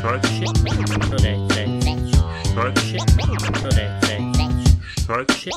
Talk shit. Talk shit. Talk shit.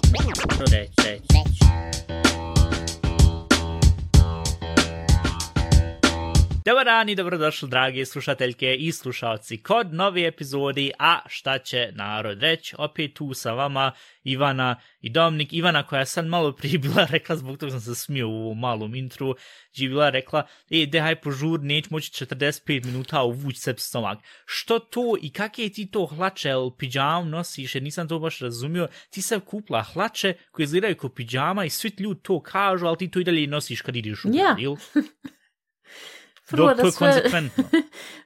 Dobar dan i dobrodošli, dragi slušateljke i slušalci, kod nove epizodi A šta će narod reći. Opet tu sa vama Ivana i Dominik. Ivana koja je sad malo prije bila rekla, zbog toga sam se smio u malom intru, gdje je bila rekla, dehaj požur, neće moći 45 minuta uvući sebi stomak. Što to i kakve ti to hlače ili pidžam nosiš, jer nisam to baš razumio, ti sam kupila hlače koje izgledaju kao pidžama i svi ljudi to kažu, ali ti to i dalje nosiš kad ideš u grad, ili?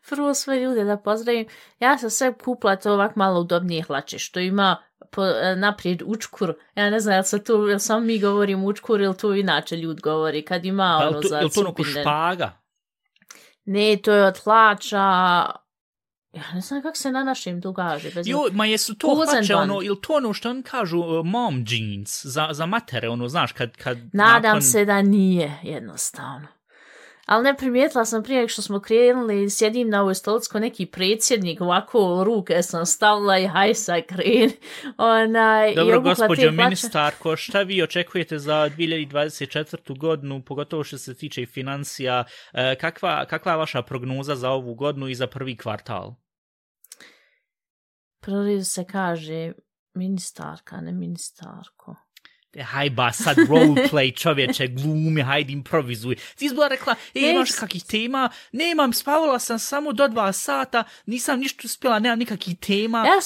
Prvo sve ljude da pozdravim. Ja sam sve kupila to ovak malo udobnije hlače, što ima naprijed učkur. Ja ne znam, jel samo mi govorim učkur ili to inače ljud govori. Kad ima pa, ono za je li to ono špaga? Ne, to je od hlača. Ja ne znam kako se na našim dogaže. Ma jesu to hlače, ono, ili to ono što oni kažu mom jeans, za matere, ono, znaš, kad Nadam se da nije, jednostavno. Ali ne primijetila sam prije što smo krenuli, sjedim na ovoj stolici ko neki predsjednik, ovako ruke sam stavila i haj sad kreni. Dobro, gospođo ministarko, šta vi očekujete za 2024. godinu, pogotovo što se tiče financija, kakva je vaša prognoza za ovu godinu i za prvi kvartal? Prvi se kaže ministarka, ne ministarko. Hajba, sad roleplay, čovječe, glumi, hajde improvizuj. Ti izbila rekla, imaš kakih tema? Nemam, spavala sam samo do 2 sata, nisam ništa uspjela, nemam nikakih tema. Ja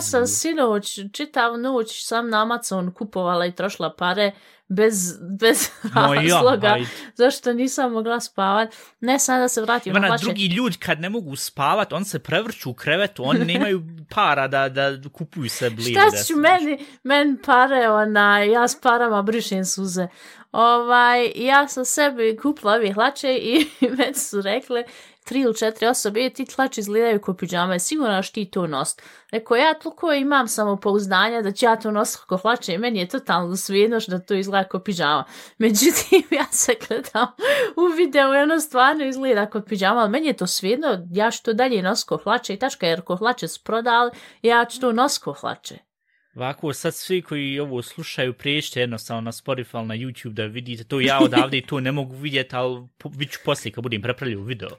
sam sinoć, čitav noć sam na Amazon kupovala i trošila pare bez razloga, zašto nisam mogla spavat. Ne, sad da se vratim. Drugi ljudi kad ne mogu spavat, on se prevrću u krevetu, oni nemaju para da kupuju se blizu. Šta ću meni pare, ja s parama brišem suze. Ja sam sebi kupila ove hlače i meni su rekle 3 ili 4 osobe, ti hlače izgledaju kao pidžame, sigurno što ti to nost. Rekao, ja toliko imam samopouzdanja da ću ja to nositi kao hlače i meni je totalno svejedno da to izgleda kao pidžama. Međutim, ja se gledam u videu i ono stvarno izgleda kao pidžama, ali meni je to svejedno, ja ću to dalje nositi kao hlače i tačka, jer kao hlače su prodali, ja ću to nositi kao hlače. Ovako, sad svi koji ovo slušaju, prijeđite jednostavno na Spotify, na YouTube da vidite to. Ja odavde i to ne mogu vidjeti, ali vidit ću poslije kad budem prepravljao video.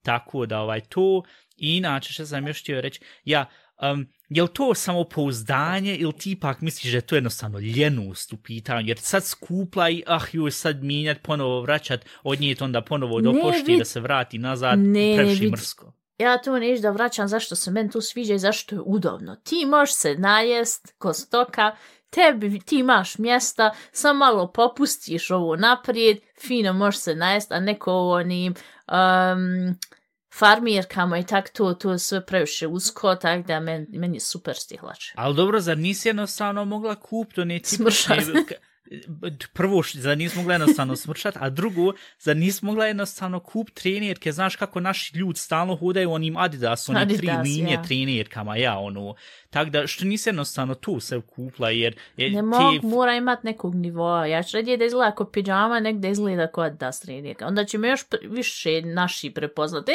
Tako da to. I inače, što sam još htio reći, je li to samopouzdanje ili ti ipak misliš da je to jednostavno ljenost u pitanju? Jer sad skupla i sad mijenjati, ponovo vraćati, odnijeti onda ponovo do pošte da se vrati nazad, previše mrsko. Ja to neću da vraćam zašto se meni to sviđa i zašto je udobno. Ti možeš se najest ko stoka, ti imaš mjesta, samo malo popustiš ovo naprijed, fino možeš se najest, a neko onim farmirkama i tako to je sve previše usko, tako da meni je super stihlače. Ali dobro, zar nisi jednostavno mogla kupiti one smršat? Prvo, zar nisi mogla jednostavno smršat, a drugo, zar nisi mogla jednostavno kupiti trenirke, znaš kako naši ljudi stalno hodaju onim Adidas, one 3 linije trenirkama, tako da što nisi jednostavno tu se kupila, jer mora imat nekog nivoa, ja ću radije da izgleda kao pidžama, nek da izgleda kao Adidas trenirka, onda će me još više naši prepoznat,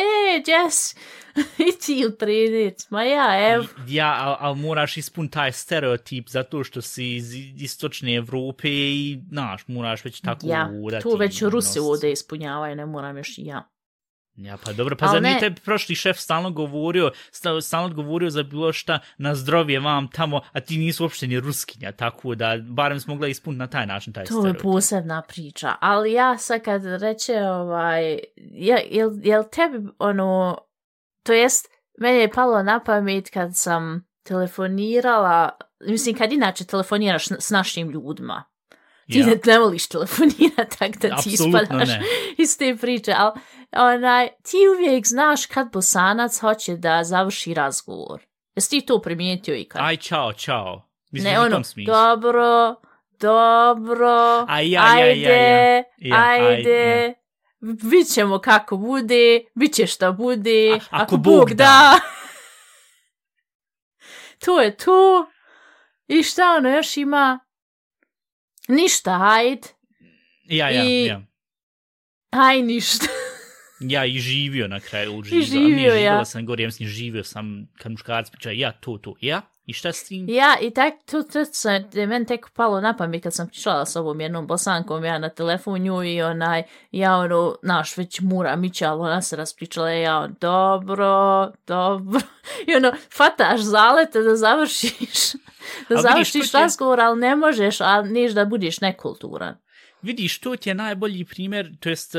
Jess, i ti u trenirc, ma evo. Ja, ali moraš ispuniti taj stereotip zato što si iz istočne Evrope i, moraš već tako udati. Tu već Rusi ovdje ispunjavaju, ne moram još i ja. Ja, pa dobro, pa zar nije tebi prošli šef stalno govorio za bilo šta na zdravje vam tamo, a ti nisu uopšte ni ruskinja, tako da barem smo mogla ispuniti na taj način taj stereotip. To je posebna priča, ali ja sad kad reče, jel tebi to jest, meni je palo na pamet kad sam telefonirala, mislim kad inače telefoniraš s našim ljudima, ti ne voliš telefonirati, tako da ti ispadaš iz te priče, ali ti uvijek znaš kad Bosanac hoće da završi razgovor. Jesi ti to primijetio ikad? Aj, čao. Mislim, ne, dobro, ajde, vidit ćemo kako bude, bit će šta bude, ako Bog da. To je to. I šta još ima? Ništa, hajde. Ja. Aj, ništa. Ja i živio na kraju. Živio sam gore, ja mislim, živio sam kad muškarac priča, ja to, ja. I šta s tim? Ja, i tak, to je meni tek palo na pamet kad sam pričala s ovom jednom Bosankom, ja na telefonu i ja naš već mura mića, ali ona se raspričala, ja dobro. I fataš zalete da završiš razgovor, ali ne možeš, a niš da budiš nekulturan. Vidiš, to ti je najbolji primjer, to jest,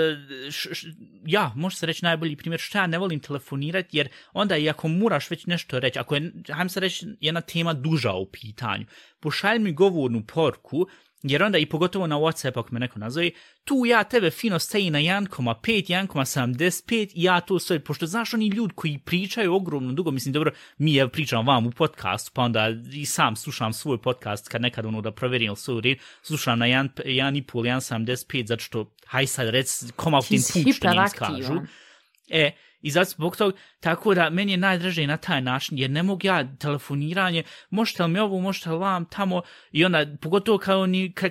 može se reći najbolji primjer, što ja ne volim telefonirati, jer onda i ako moraš već nešto reći, ako je, hajmo se reći, jedna tema duža u pitanju, pošalj mi govornu porku, jer onda i pogotovo na WhatsApp ako me neko nazove, tu ja tebe fino stoji na 1,5, 1,75 i ja to sve, pošto znaš oni ljudi koji pričaju ogromno dugo, mislim dobro, mi pričam vam u podcastu, pa onda i sam slušam svoj podcast kad nekad da proverim svoj red, slušam na 1,5, 1,75, zato što, haj sad rec, koma u tim put što njim skažu. I zato zbog toga, tako da meni je najdraže na taj način, jer ne mogu ja telefoniranje, možete li mi ovo, možete li vam tamo, i onda, pogotovo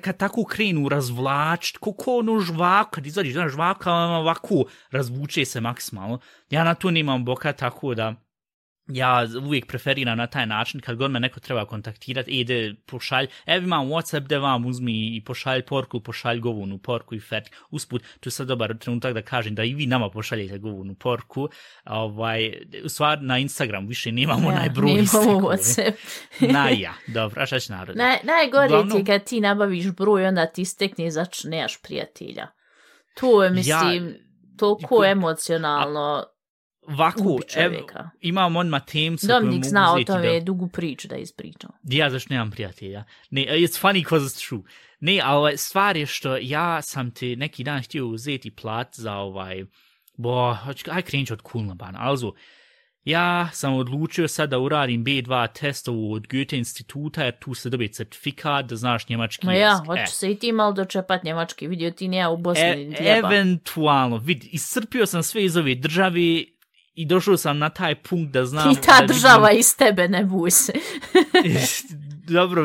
kad tako krenu razvlačiti, kako žvaka, kad izađeš, žvaka ovako razvuče se maksimalno. Ja na to nemam boka, tako da ja uvijek preferiram na taj način, kad god me neko treba kontaktirati, ide pošalj, imam WhatsApp, de vam uzmi i pošalj porku, pošalj govornu porku i fertik. Usput, tu je sad dobar trenutak da kažem da i vi nama pošaljete govornu porku. U stvari na Instagram više nemamo najbroj. Nemamo WhatsApp. Dobro, a šta će narod? Najgore ti kad ti nabaviš broj, onda ti stekne znači nemaš prijatelja. To je, mislim, toliko emocionalno. Ovako, imam odmah temca koju mogu uzeti. Domnik zna o tome dugu priču da ispričam. Ja zašto nemam prijatelja. Ne, it's funny because it's true. Ne, ali stvar je što ja sam ti neki dan htio uzeti plat za aj krenut od Kulnabana. Also, ja sam odlučio sad da uradim B2 testovu od Goethe instituta, jer tu se dobije certifikat da znaš njemački jezik. Ja, hoću se i ti malo dočepat njemački, vidio ti nije u Bosni. Eventualno, iscrpio sam sve iz ove države i došao sam na taj punkt da znam... I ta država iz tebe, ne buj se. Dobro,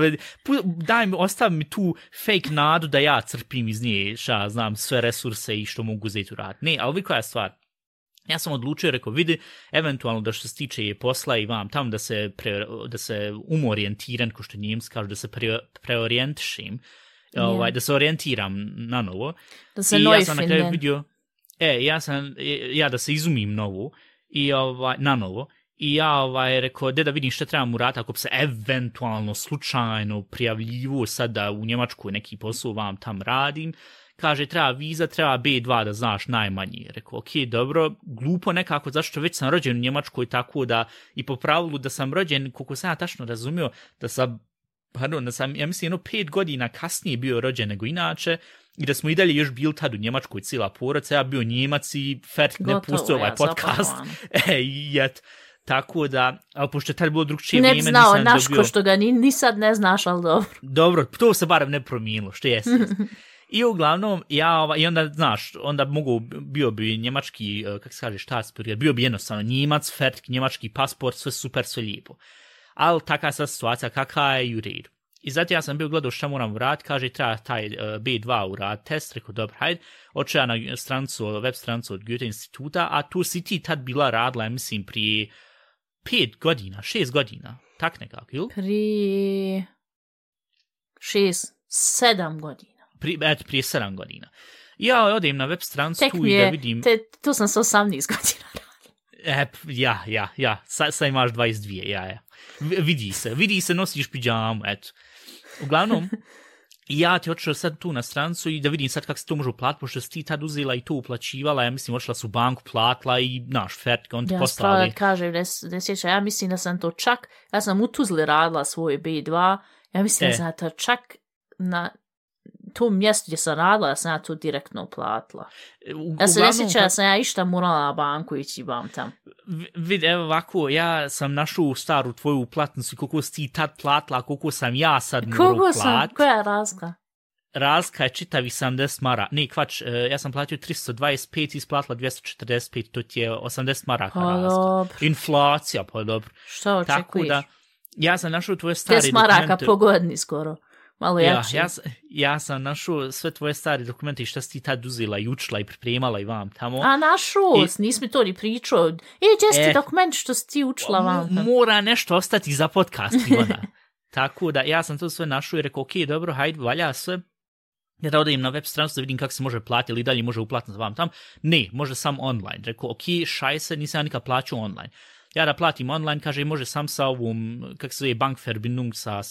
ostavi mi tu fake nadu da ja crpim iz nje, znam sve resurse i što mogu uzeti u rad. Ne, ali koja je stvar? Ja sam odlučio, rekao, vidi, eventualno da što se tiče je posla i vam tamo da se umorientiram, ko što Njemci kažu, da se preorijentišim, da se orijentiram na novo. Da se neufinden. Ja sam na kraju vidio, da se izumim novo, i na novo, i ja rekao, da vidim što trebam urati ako bi se eventualno slučajno prijavljivo sada u Njemačkoj neki posao vam tam radim. Kaže, treba viza, treba B2 da znaš najmanje. Rekao, ok, dobro, glupo nekako, zašto već sam rođen u Njemačkoj, tako da i po pravilu da sam rođen, koliko sam ja tačno razumio, da sam, ja mislim, 5 godina kasnije bio rođen nego inače, i da smo i dalje još bili tad u Njemačkoj cijela porodica, ja bio Njemac i ne pustio ovaj podcast. Tako da, ali pošto je tad bilo drugčije vrijeme, nisam znao naško što ga ni sad ne znaš, ali dobro. Dobro, to se barem ne promijenilo, što jesi. I uglavnom, i onda, znaš, onda bio bi njemački, kako se kaže, štatspor, bio bi jednostavno Njemac, fertik, njemački pasport, sve super, sve lijepo. Ali takva je sad situacija, kakva je i u redu. I zato ja sam bio gledao šta moram uraditi, kaže treba taj B2 uraditi test, rekao dobro, hajde, očeo ja na web stranicu od Goethe instituta, a tu si ti tad bila radila, mislim, prije 5 godina, 6 godina, tak nekako, ili? Prije 7 godina. Prije 7 godina. Ja odem na web stranicu tu i da vidim... Tu sam sa 18 godina radila. Ja, sad imaš 22, ja. Vidi se, nosiš pidžamu, eto. Uglavnom, ja ti otišao sad tu na stranicu i da vidim sad kako se to može uplatiti, pošto si ti tad uzela i to uplaćivala, ja mislim, otišla su u banku, platila i naš fertik, on ti poslali. Ja kažem, ne sjeća, ja mislim da sam to čak, ja sam u Tuzli radila svoj B2, ja mislim da sam to čak na tom mjestu gdje sam radila, ja sam ja to direktno uplatila. Ja se ne sjeća da sam ja išta morala na banku ići vam tam. Evo ovako, ja sam našao staru tvoju uplatnicu, koliko si ti tad platila, koliko sam ja sad morao platiti. Koja je razlika? Razlika je čitavi 70 maraka. Ne, kvač, ja sam platio 325, isplatila 245, to ti je 80 maraka razlika. Dobro. Inflacija, pa dobro. Što očekuješ? Tako da, ja sam našao tvoje stare 10 maraka po godini skoro. malo jači. Ja sam našao sve tvoje stare dokumente i šta si ti tad uzela i učila i pripremala i vam tamo. A našao, nisam mi to ni pričao. Gdje si dokumenti što si ti učila vam tamo? Mora nešto ostati za podcast, Ivana. Tako da ja sam to sve našao i rekao, ok, dobro, hajde, valja sve. Ja da odajem na web stranicu da vidim kako se može platiti ili dalje može uplatiti vam tam. Ne, može sam online. Rekao, ok, šajse, nisam ja nikad plaćao online. Ja da platim online, kaže, može sam sa ovom, kako se zove, Bankverbindung sa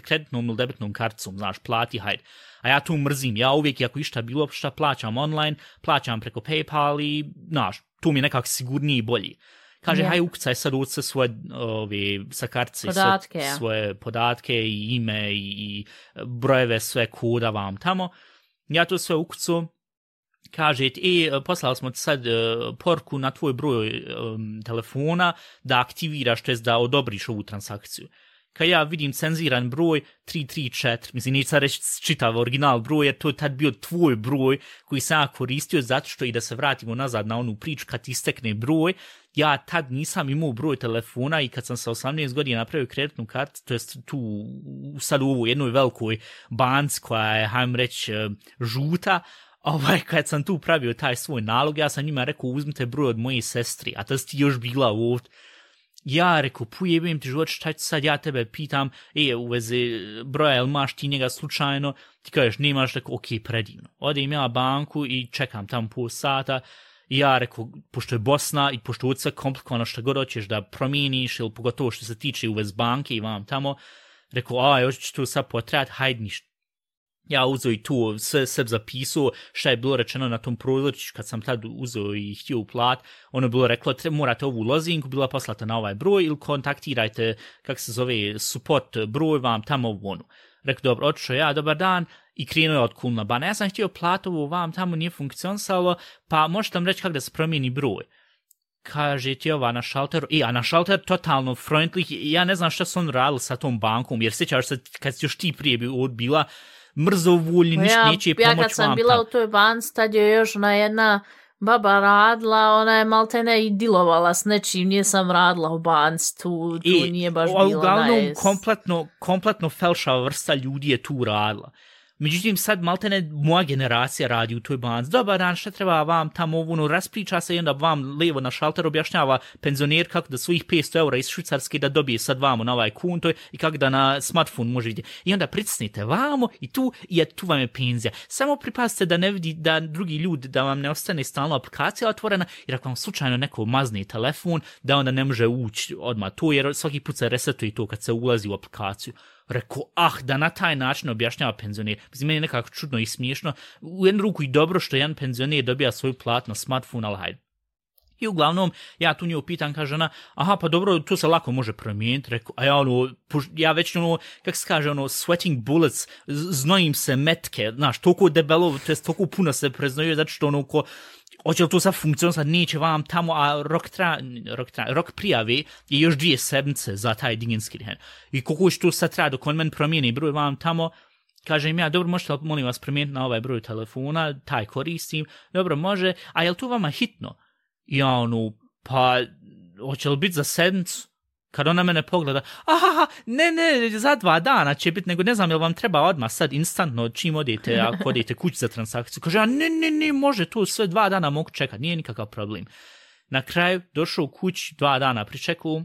kreditnom ili debitnom karticom, znaš, plati, hajde. A ja tu mrzim, ja uvijek, ako išta bilo šta plaćam online, plaćam preko PayPal i, znaš, tu mi je nekako sigurniji i bolji. Kaže, haj, ukucaj sad uce svoje, sa kartice, podatke, svoje podatke i ime i brojeve, sve koda vam tamo. Ja to sve ukucu. Kaže, poslali smo ti sad poruku na tvoj broj telefona da aktiviraš, to jest da odobriš ovu transakciju. Kad ja vidim cenziran broj 334, mislim, neću sad reći čitav original broj, jer to je tad bio tvoj broj koji sam ja koristio, zato što i da se vratimo nazad na onu priču, kad ti istekne broj, ja tad nisam imao broj telefona i kad sam sa 18 godina napravio kreditnu kartu, to jest tu sad u ovoj jednoj velikoj banci koja je, hajmo reći, žuta, kad sam tu pravio taj svoj nalog, ja sam njima rekao, uzmite broj od moje sestri, a tad si ti još bila ovdje. Ja rekao, pujebim ti život, šta ću sad, ja tebe pitam, u vezi broja, jel maš ti njega slučajno, ti kažeš, nemaš, rekao, ok, predivno. Odem ja banku i čekam tamo pol sata, i ja rekao, pošto je Bosna i pošto je sve komplikovano što god hoćeš da promijeniš, ili pogotovo što se tiče u vezi banke i vam tamo, rekao, još ću tu sad potrebati, hajde ništa. Ja uzeo i tu sve zapisao šta je bilo rečeno na tom prozorčiću kad sam tad uzeo i htio uplat. Ono je bilo reklo, morate ovu lozinku, bila poslata na ovaj broj ili kontaktirajte, kako se zove, support broj vam tamo u onu. Rekao, dobro, otišao ja, dobar dan, i krenuo je od kulna bana. Ja sam htio platovu vam tamo, nije funkcionisalo, pa možete nam reći kako da se promijeni broj. Kaže ti ova na šalteru, a na šalter totalno freundlich, ja ne znam šta su on radili sa tom bankom, jer sjećaš se kad si još ti prije bila mrzovoljni, ništa neće pomoći vam. Ja kad sam bila u toj banci, tad je još ona jedna baba radila, ona je maltene i dilovala s nečim, nije sam radila u banci, tu nije baš bila. Uglavnom, kompletno felšava vrsta ljudi je tu radila. Međutim, sad maltene moja generacija radi u toj banci. Dobar dan, šta treba vam tamo, raspriča se i onda vam levo na šalter objašnjava penzioner kako da svojih 500 eura iz Švicarske da dobije sad vamo na ovaj konto i kako da na smartphone može vidjeti. I onda pritisnite vamo i tu vam je penzija. Samo pripazite da ne vidi da drugi ljudi, da vam ne ostane stalno aplikacija otvorena, jer ako vam slučajno neko mazne telefon, da onda ne može ući odmah to, jer svaki put se resetuje to kad se ulazi u aplikaciju. Rekao, da na taj način objašnjava penzioner. Mislim, meni je nekako čudno i smiješno. U jednu ruku i dobro što jedan penzioner dobija svoju plat na smartphone, ali hajde. I uglavnom, ja tu nju pitam, kaže ona, pa dobro, to se lako može promijeniti. Rekao, ja već kako se kaže, sweating bullets, znojim se metke, znaš, toliko debelo, to je toliko puno se preznojuje, zato što hoće li to sad funkcionisati, neće vam tamo, a rok prijave je još 2 sedmice za taj diginski den. I koliko će to sad treba dok on meni promijeni broj vam tamo, kažem ja, dobro, možete li, molim vas, promijeniti na ovaj broj telefona, taj koristim, dobro, može, a je li to vama hitno? I ja pa, hoće li biti za sedmicu? Kad ona mene pogleda, ne, za 2 dana će biti, nego ne znam, jel vam treba odmah sad instantno čim odete, ako odete kući za transakciju. Kaže, ne, može to sve 2 dana mogu čekati, nije nikakav problem. Na kraju došao u kući, 2 dana pričekao,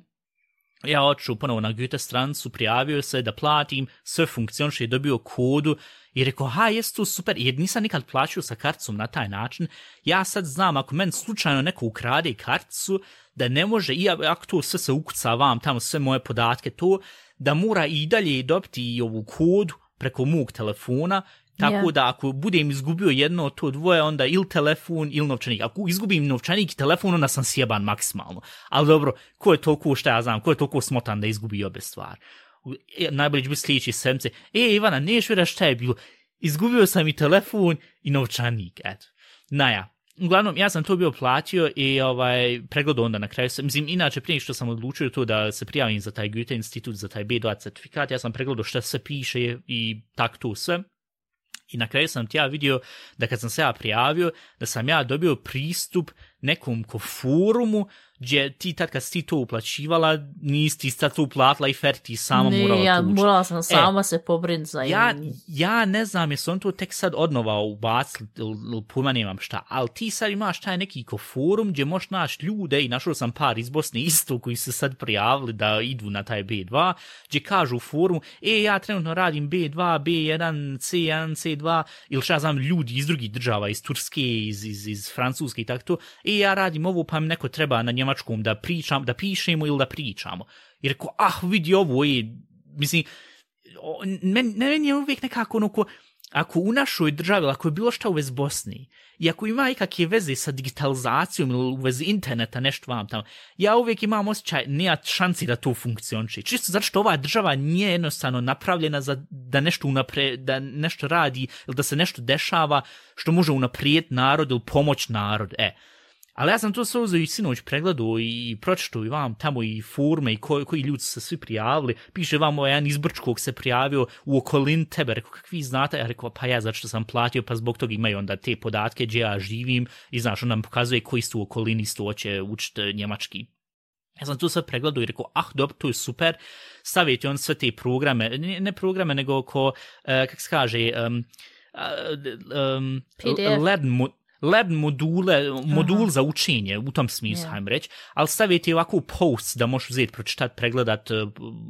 ja otišao ponovo na Goethe stranicu, prijavio se da platim, sve funkcioniše, dobio kodu i rekao, jes to super, jer nisam nikad plaćao sa karticom na taj način. Ja sad znam, ako meni slučajno neko ukrade karticu, da ne može, i ako to sve se ukuca vam, tamo sve moje podatke, to, da mora i dalje dobiti i ovu kodu preko mog telefona, tako da ako budem izgubio jedno od to dvoje, onda ili telefon ili novčanik. Ako izgubim novčanik i telefon, onda sam sjeban maksimalno. Ali dobro, ko je toliko, šta ja znam, ko je toliko smotan da izgubi obe stvari? Najbolje će biti sljedeći sedmice. Ivana, neš vjera šta je bilo? Izgubio sam i telefon i novčanik, eto. Uglavnom, ja sam to bio platio i pregledao onda na kraju. Mislim, inače, prije što sam odlučio to da se prijavim za taj Goethe institut, za taj B2 certifikat, ja sam pregledao šta se piše i tak to sve. I na kraju sam ti ja vidio da kad sam se ja prijavio, da sam ja dobio pristup nekom ko forumu, gdje ti tad kad si ti to uplaćivala, nisi ti sad to uplatila i fer ti sama morala tući. Morala sam sama se pobriniti za ja ne znam jesu on to tek sad odnova ubacili ili pojma nemam šta, ali ti sad imaš taj neki ko forum gdje možeš naći ljude i našao sam par iz Bosne isto koji se sad prijavili da idu na taj B2, gdje kažu u forumu, ja trenutno radim B2, B1, C1, C2, ili šta znam ljudi iz drugih država, iz Turske, iz Francuske i tako to, ja radim ovo pa mi neko treba na njemačkom da pričam, da pišemo ili da pričamo. I rekao, vidi ovo mislim, meni je uvijek nekako ono ako u našoj državi, ako je bilo šta u vezi Bosni, i ako ima ikakve veze sa digitalizacijom ili u vezi interneta, nešto vam tamo, ja uvijek imam osjećaj, nema šansi da to funkcioniše. Čisto zato što ova država nije jednostavno napravljena za da nešto da nešto radi ili da se nešto dešava što može unaprijediti narod ili pomoć narod. Ali ja sam to sve uzeo i sinoć pregledao i pročitao i vam tamo i forume i koji ljudi su se svi prijavili. Piše vam jedan iz Brčkog se prijavio u okolini tebe. Rekao, kakvi znate? Ja rekao, pa ja zato što sam platio, pa zbog toga imaju onda te podatke gdje ja živim i znaš, on nam pokazuje koji su u okolini isto hoće učiti njemački. Ja sam to sve pregledao i rekao, dobro, to je super. Stavite on sve te programe, ne programe, nego kako se kaže, lab modul za učenje, u tom smislu, hajmo reći, ali stavite ovako post da možeš uzeti, pročitati, pregledat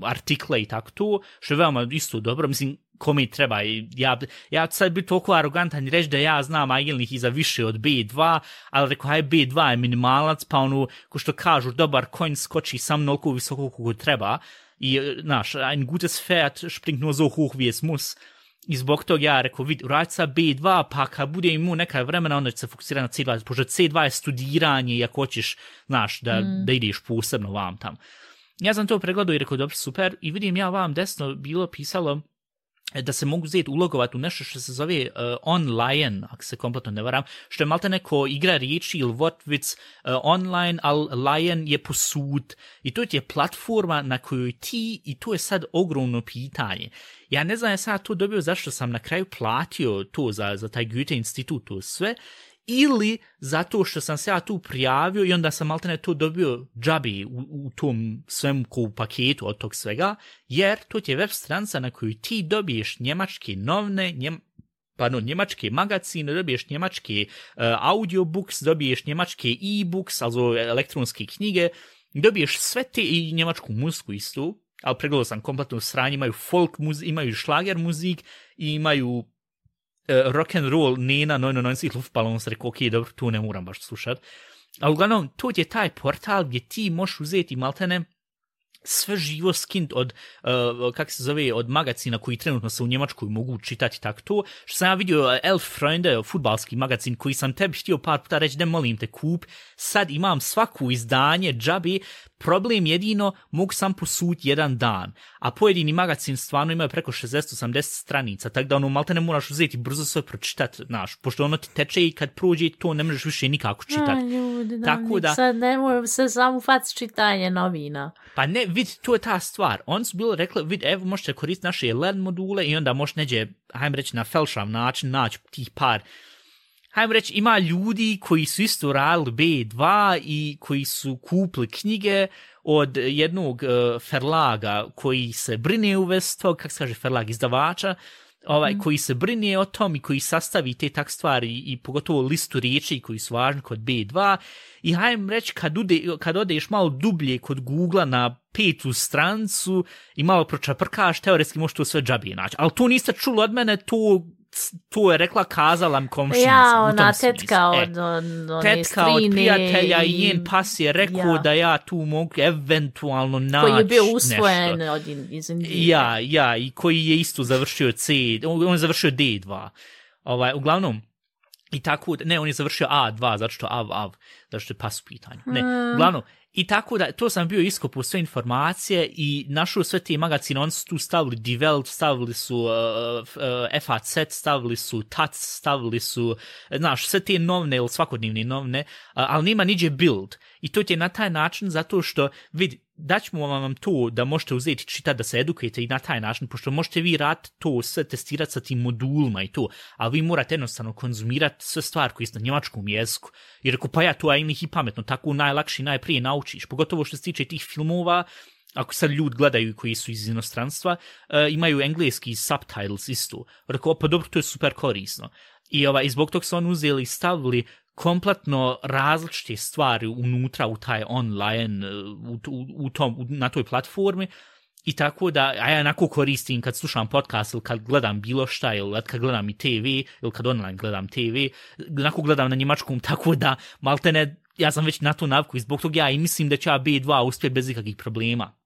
artikle i tako to, što je veoma isto dobro, mislim, kome treba, ja sad biti toliko arogantan i reći da ja znam agilnih i za više od B2, ali rekao, B2 je minimalac, pa ono, ko što kažu, dobar konj skoči sam noliko visoko kako treba, i, znaš, ein gutes Pferd springt nur so hoch wie es muss. I zbog toga ja rekao, uradi sa B2, pa kad bude imao neka vremena, onda će se fokusirati na C2, pošto C2 je studiranje i ako hoćeš, znaš, da ideš posebno vam tam. Ja sam to pregledao i rekao, dobro, super, i vidim ja vam desno bilo pisalo da se mogu uzeti ulogovati u nešto što se zove online, ako se kompletno ne varam, što je malte neko igra riječi ili Wortwitz online, ali Lion je posud. I to je platforma na kojoj ti, i to je sad ogromno pitanje. Ja ne znam, ja sad to dobio zašto sam na kraju platio to za taj Goethe institut, to sve, ili zato što sam se ja tu prijavio i onda sam maltene to dobio džabi u tom svemu ko u paketu od tog svega, jer to je web stranca na koju ti dobiješ njemačke novine, njemačke magazine, dobiješ njemačke audiobooks, dobiješ njemačke e-books, also elektronske knjige, dobiješ sve te i njemačku muziku istu, ali pregledao sam kompletno sranje, imaju folk muzik, imaju šlager muzik i imaju rock and roll Nena 99 Luftballons, rekao, ok, dobro, tu ne moram baš slušat. Ali uglavnom, to je taj portal gdje ti možeš uzeti maltene sve živo skint od, kako se zove, od magazina koji trenutno se u Njemačkoj mogu čitati tako to. Što sam ja vidio Elf Freunde, futbalski magazin koji sam tebi htio par puta reći, da molim te kup, sad imam svaku izdanje džabi, problem jedino mogu sam posuditi jedan dan, a pojedini magazin stvarno imaju preko 60-80 stranica, tako da ono malte ne moraš uzeti brzo sve pročitati, znaš, pošto ono ti teče i kad prođe to ne možeš više nikako čitati. Tako da sad ne moram se samo faci čitanje novina. Pa ne, vidi, to je ta stvar. Oni su bilo rekli, vidi, evo možete koristiti naše LED module i onda možeš neđe, hajmo reći, na felšav način naći tih par. Hajmo reći, ima ljudi koji su isto radili B2 i koji su kupili knjige od jednog ferlaga koji se brine u vezi tog, kako se kaže ferlag, izdavača, koji se brine o tom i koji sastavi te tak stvari i pogotovo listu riječi koji su važni kod B2 i hajmo reći kad odeš malo dublje kod Google na 5. strancu i malo pročaprkaš, teoretski možeš to sve džabije naći, ali to niste čuli od mene, to je rekla, kazala mi komšinica. Ja, ona tetka tetka od prijatelja i njen pas je rekao da ja tu mogu eventualno naći koji je bio usvojen iz Indije. Ja, i koji je isto završio on je završio D2. Uglavnom, i tako, ne, on je završio A2, zato što je pas u pitanju. Ne, uglavnom, i tako da, to sam bio iskopao sve informacije i našao sve te magazine, oni su tu stavili Die Welt, stavili su FAZ, stavili su TAC, stavili su, znaš, sve te novine ili svakodnevne novine, ali nema niđe Bild. I to je na taj način zato što, vidi, daćemo vam to da možete uzeti čitati, da se edukujete i na taj način, pošto možete vi rad to sve testirati sa tim modulima i to, ali vi morate jednostavno konzumirati sve stvari koje su na njemačkom jeziku. I rekao, pa ja to je i pametno, tako najlakše i najprije naučiš, pogotovo što se tiče tih filmova. Ako sad ljudi gledaju koji su iz inostranstva, imaju engleski subtitles isto. Rekao, pa dobro, to je super korisno. I zbog toga su oni uzeli i stavili kompletno različite stvari unutra u taj online, na toj platformi. I tako da, a ja onako koristim kad slušam podcast ili kad gledam bilo šta, ili kad gledam i TV, ili kad online gledam TV, onako gledam na njemačkom, tako da maltene, ja sam već na to naviku i zbog toga ja i mislim da će ja B2 uspjeti bez ikakvih problema.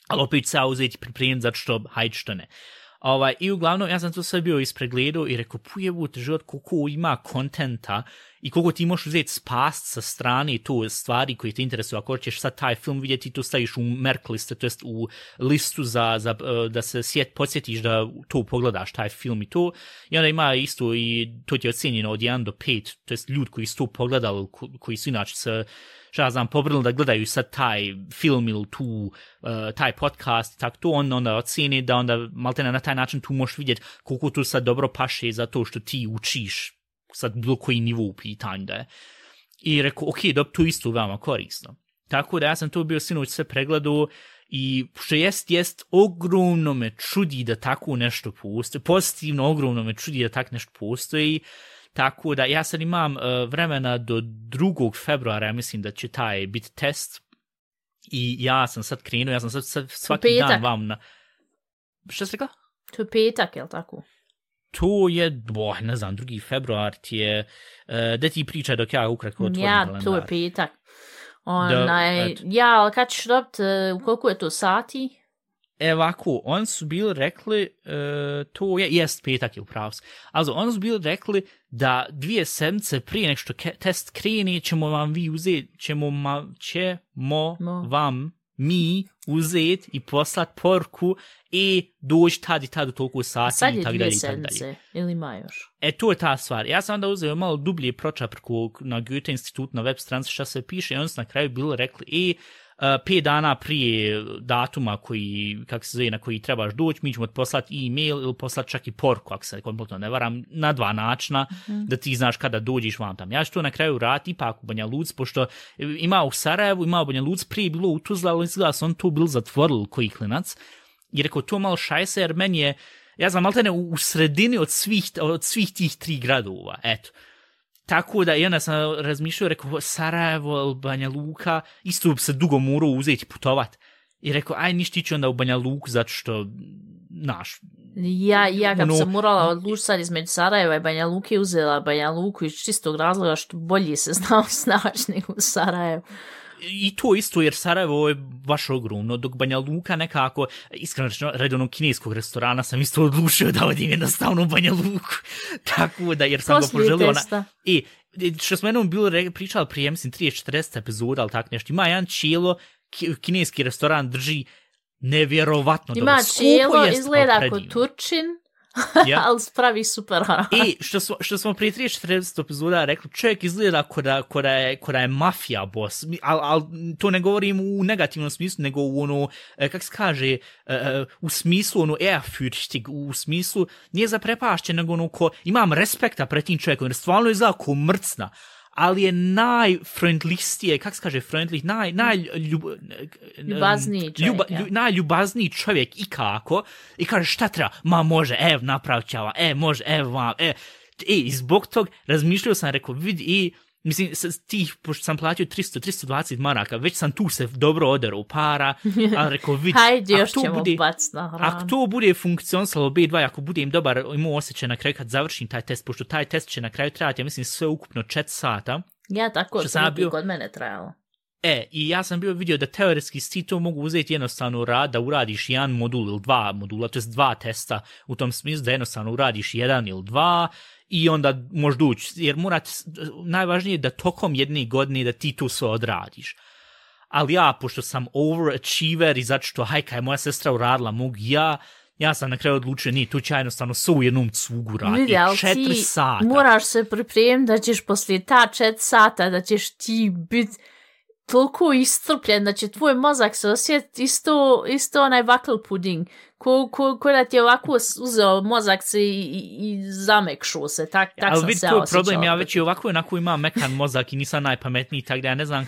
Ali opet se ja uzeti pripremiti zato što, hajde što ne. I uglavnom, ja sam to sve bio ispregledao i rekao, pujebut život koliko ima kontenta i koliko ti možeš uzeti spast sa strane to stvari koje te interesuju. Ako ćeš sad taj film vidjeti, to staviš u merk liste, to jest u listu da se podsjetiš da to pogledaš, taj film i to. I onda ima isto i to ti je ocjenjeno od 1 do 5, to jest ljudi koji su to pogledali, koji su inače se pobrili da gledaju sad taj film ili taj podcast, tako to onda ocjeni da onda maltene na taj način tu možeš vidjeti koliko tu sad dobro paše za to što ti učiš sad bilo koji nivo u pitanju da je. I rekao, ok, dobro, to isto veoma korisno. Tako da ja sam to bio sinoć sve pregledao i što jest ogromno me čudi da tako nešto postoji, pozitivno ogromno me čudi da tako nešto postoji. Tako da ja sad imam vremena do 2. februara, ja mislim da će taj biti test i ja sam sad krenuo, ja sam sad svaki dan vam na... Šta si rekla? To je petak, je li tako? To je, ne znam, 2. februar ti je, da ti pričaj dok ja ukratko otvorim kalendar. Ja, to je petak. Ja, ali kad ćeš dobiti, koliko je to sati? Ovako, oni su bili rekli, to jest petak je upravo. Also, oni su bili rekli da 2 sedmice prije nek što test kreni ćemo vam vi uzeti, ćemo vam mi uzeti i poslati porku i doći tad i tad u toliko sati. Sad je 2 sedmice, ili ima još? To je ta stvar. Ja sam onda uzeo malo dublje pročaprku na Goethe institut na web stranici šta se piše i oni su na kraju bili rekli 5 dana prije datuma koji, kako se zove, na koji trebaš doći, mi ćemo ti poslati e-mail ili poslati čak i porku, ako se kompletno ne varam, na 2 načina, da ti znaš kada dođeš vam tam. Ja ću to na kraju raditi ipak u Banja Luci, pošto ima u Sarajevu, ima u Banja Luci, prije bilo u Tuzla, ali izgleda su on to bil zatvorili koji klinac. I rekao, to malo šajse, jer meni je, ja znam, maltene u sredini od svih tih 3 gradova, eto. Tako da, i onda sam razmišljao, rekao, Sarajevo, Banja Luka, isto bi se dugo morao uzeti putovat. I rekao, aj ništa ići onda u Banja Luku, zato što, znaš... Ja kad sam morala odlučiti sad između Sarajeva i Banja Luke, uzela Banja Luku iz čistog razloga što bolje se znao snaći nego u Sarajevu. I to isto, jer Sarajevo je baš ogromno, dok Banja Luka nekako, iskreno rečeno, redovnog kineskog restorana sam isto odlučio da odim jednostavno u Banja Luku. Tako da, jer sam ga poželio... Što smo jednom bilo pričali prije, mislim, 30-40 epizoda, ali tako nešto, ima jedan čelo, kineski restoran drži nevjerovatno dobro. Ima čelo, izgleda kod Turčin, ali spravi super haram. Što smo prije 30-40 epizoda rekli, čovjek izgleda koda je mafija boss, ali to ne govorim u negativnom smislu, nego u ono, kak se kaže, u smislu ono ehrfürchtig, u smislu nije zaprepašćen, nego ono ko, imam respekta pred tim čovjekom, jer stvarno izgleda ko mrcna, ali je najfriendlistije, kak se kaže friendly, najljubazniji čovjek ikako, i kaže šta treba, ma može, napravit ću može, vam, i zbog tog razmišljao sam, rekao, vidi, mislim, pošto sam platio 320 maraka, već sam tu se dobro oderao para, ali rekao, vidi, ako to bude funkcionisalo B2, ako budem dobar, imao osjećaj na kraju kad završim taj test, pošto taj test će na kraju trajati, ja mislim, sve ukupno 4 sata. Ja tako, što kod mene trajalo. I ja sam bio vidio da teoretski ti to mogu uzeti jednostavno da uradiš 1 modul ili 2 modula, to je 2 testa u tom smislu da jednostavno uradiš 1 ili 2 i onda možeš doći, jer najvažnije je da tokom jedne godine da ti to sve odradiš. Ali ja, pošto sam overachiever i zato što hajka je moja sestra uradila, ja sam na kraju odlučio, nije, tu ću ja jednostavno sve u jednom cugu raditi. 4 sata. Moraš se pripremiti da ćeš poslije ta 4 sata, da ćeš ti biti toliko iscrpljen da će tvoj mozak se osjetiti isto onaj vakl puding. Ko da ti je ovako uzeo mozak se i zamekšuo se. Tak sam se osjećao. Ali vidi, to je problem, ja već i ovako onako imam mekan mozak i nisam najpametniji, tako da ja ne znam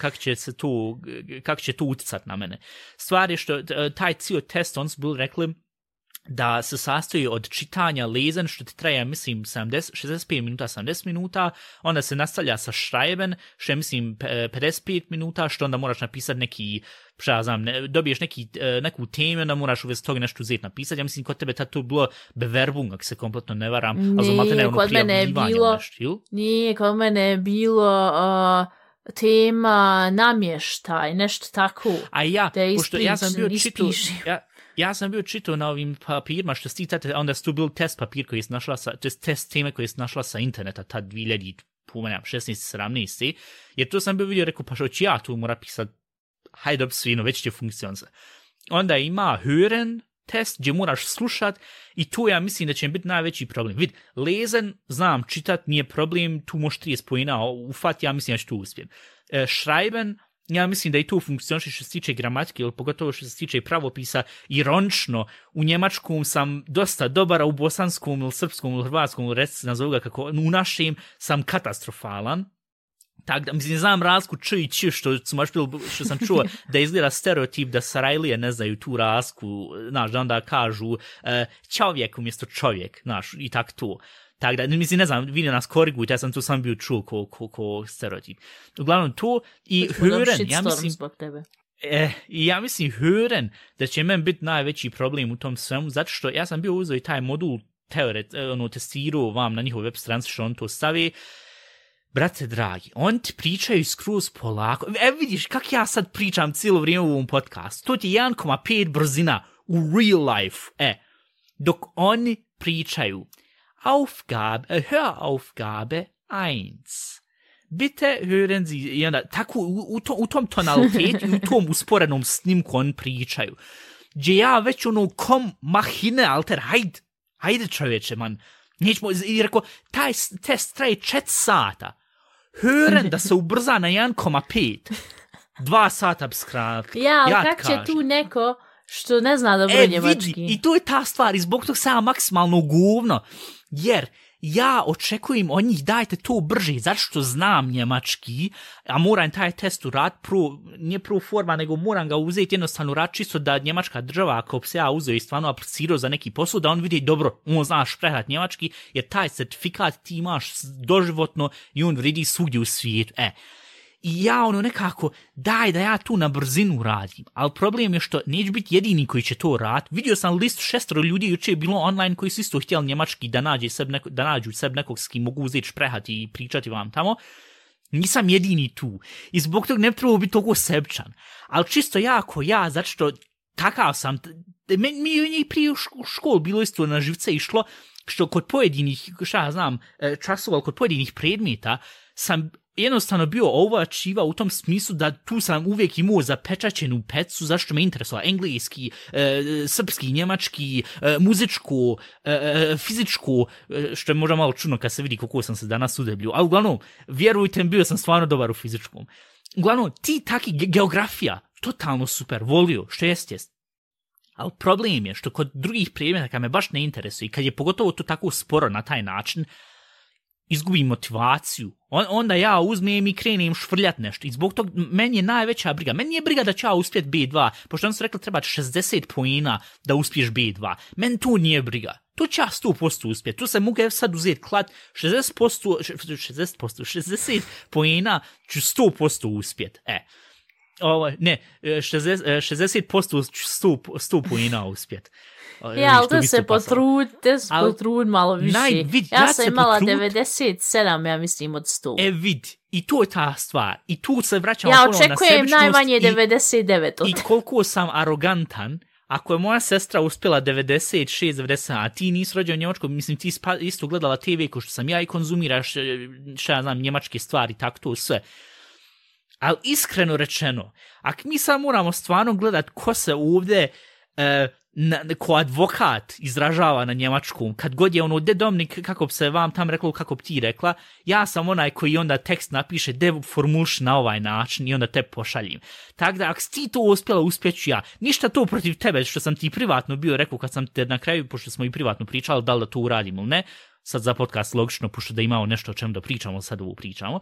kako će to utjecat na mene. Stvar je što taj cijel test, on su bili rekli da se sastoji od čitanja, lezen, što ti traje, mislim, 65 minuta, 70 minuta, onda se nastavlja sa šrajben, što je, mislim, 55 minuta, što onda moraš napisati neki, dobiješ neku temu, onda moraš uvijek toga nešto uzeti napisati. Ja mislim, kod tebe to bilo beverbung, ako se kompletno ne varam, Nije, kod mene je bilo tema namještaj, nešto tako. A ja, pošto ja sam bio Ja sam bio čitao na ovim papirima što stitate, onda su tu bili test papir koji je našla test teme koji je našla sa interneta, ta 2016, 17, jer to sam bio vidio, rekao, pa što ću ja tu mora pisati, hajde svino, već će funkcionati. Onda ima hören test gdje moraš slušat i tu ja mislim da će biti najveći problem. Vid, lezen, znam, čitat nije problem, tu možeš 30 pojena ufati, ja mislim da ću tu uspijem. Schreiben, ja mislim da i tu funkcioniše što se tiče gramatike, ili pogotovo što se tiče pravopisa, ironično, u njemačkom sam dosta dobar, a u bosanskom ili srpskom ili hrvatskom, ili recite nazovu ga kako, u našem sam katastrofalan. Tako da, mislim, znam razliku č i č, što sam čuo da izgleda stereotip da Sarajlije ne znaju tu razliku, znaš, da onda kažu čovjek umjesto čovjek, znaš, i tak to. Tako da, mislim, ne znam, vi nas korigujte, ja sam tu sam bio čuo ko stereotip. Uglavnom to i hören, ja mislim hören da će meni biti najveći problem u tom svemu, zato što ja sam bio uzeo i taj modul testirao vam na njihov web stranici što on to stavi. Brate dragi, on ti pričaju skroz polako. Vidiš kak ja sad pričam cijelo vrijeme u ovom podcastu. To ti je 1,5 brzina u real life. Dok oni pričaju Hör-Aufgabe 1. Bitte hören Sie, i onda tako u tom tonalitetu i u tom usporenom snimku on pričaju. Gdje ja već mahine, alter, hajde čovječe, man. Nećemo, i rekao, taj test traje 4 sata. Hören da se ubrza na 1,5. 2 sata bi skratili. Ja, ali kak će tu neko što ne zna dobro njemački? Vidi, i to je ta stvar, i zbog tog sam maksimalno govno, jer ja očekujem od njih dajte to brže, zato što znam njemački, a moram taj test urat, nije pro forma, nego moram ga uzeti jednostavno urat, čisto da njemačka država, ako se ja uzeo i stvarno aplicirao za neki posao, da on vidi dobro, on znaš prehat njemački, jer taj certifikat ti imaš doživotno i on vredi svugdje u svijetu. I ja nekako, daj da ja tu na brzinu radim, ali problem je što neću biti jedini koji će to raditi. Vidio sam list 6 ljudi, juče je bilo online koji su isto htjeli njemački da nađu sebi nekog s kim mogu uzeti šprehati i pričati vam tamo. Nisam jedini tu. I zbog toga ne treba biti toliko sebčan. Ali čisto ja, zato što takav sam, mi je prije u školu bilo isto na živce išlo, što kod pojedinih, časova, kod pojedinih predmeta sam jednostavno bio ovačiva u tom smislu da tu sam uvijek imao zapečaćenu pecu, zašto me interesovala engleski, srpski, njemački, muzičko, fizičko, što je možda malo čudno kad se vidi koliko sam se danas udebljio, ali uglavnom, vjerujte mi, bio sam stvarno dobar u fizičkom. Uglavnom, ti taki geografija, totalno super, volio, što jest. Ali problem je što kod drugih predmeta kad me baš ne interesuje i kad je pogotovo to tako sporo na taj način, izgubim motivaciju. Onda ja uzmem i krenem švrljat nešto. I zbog toga meni je najveća briga. Meni je briga da ću ja uspjet B2, pošto on su rekli treba 60 poena da uspiješ B2. Meni to nije briga. To će ja 100% uspjet. Tu se mogu sad uzeti klad 60 poena ću 100% uspjet. 60% ću 100 poena uspjet. Ja, ali da se potrud malo više. Ja sam imala 97, ja mislim, od 100. Vidi, i to je ta stvar. I tu se vraćamo ja očekujem najmanje 99 od. I koliko sam arogantan, ako je moja sestra uspjela 96, 90, a ti nisi rođen u Njemačkoj, mislim, ti isto gledala TV ko što sam ja i konzumiraš, njemačke stvari, tako to sve. Ali iskreno rečeno, ako mi sad moramo stvarno gledat ko se ovdje ko advokat izražava na njemačkom, kad god je ono, Domnik, kako bi se vam tam reklo, kako bi ti rekla, ja sam onaj koji onda tekst napiše, formulš na ovaj način i onda te pošaljem. Tako da, ako si ti to uspjela, uspjeću ja. Ništa to protiv tebe, što sam ti privatno bio rekao, kad sam te na kraju, pošto smo i privatno pričali, da li da to uradimo ili ne, sad za podcast logično, pošto da imamo nešto o čemu da pričamo, sad ovo pričamo.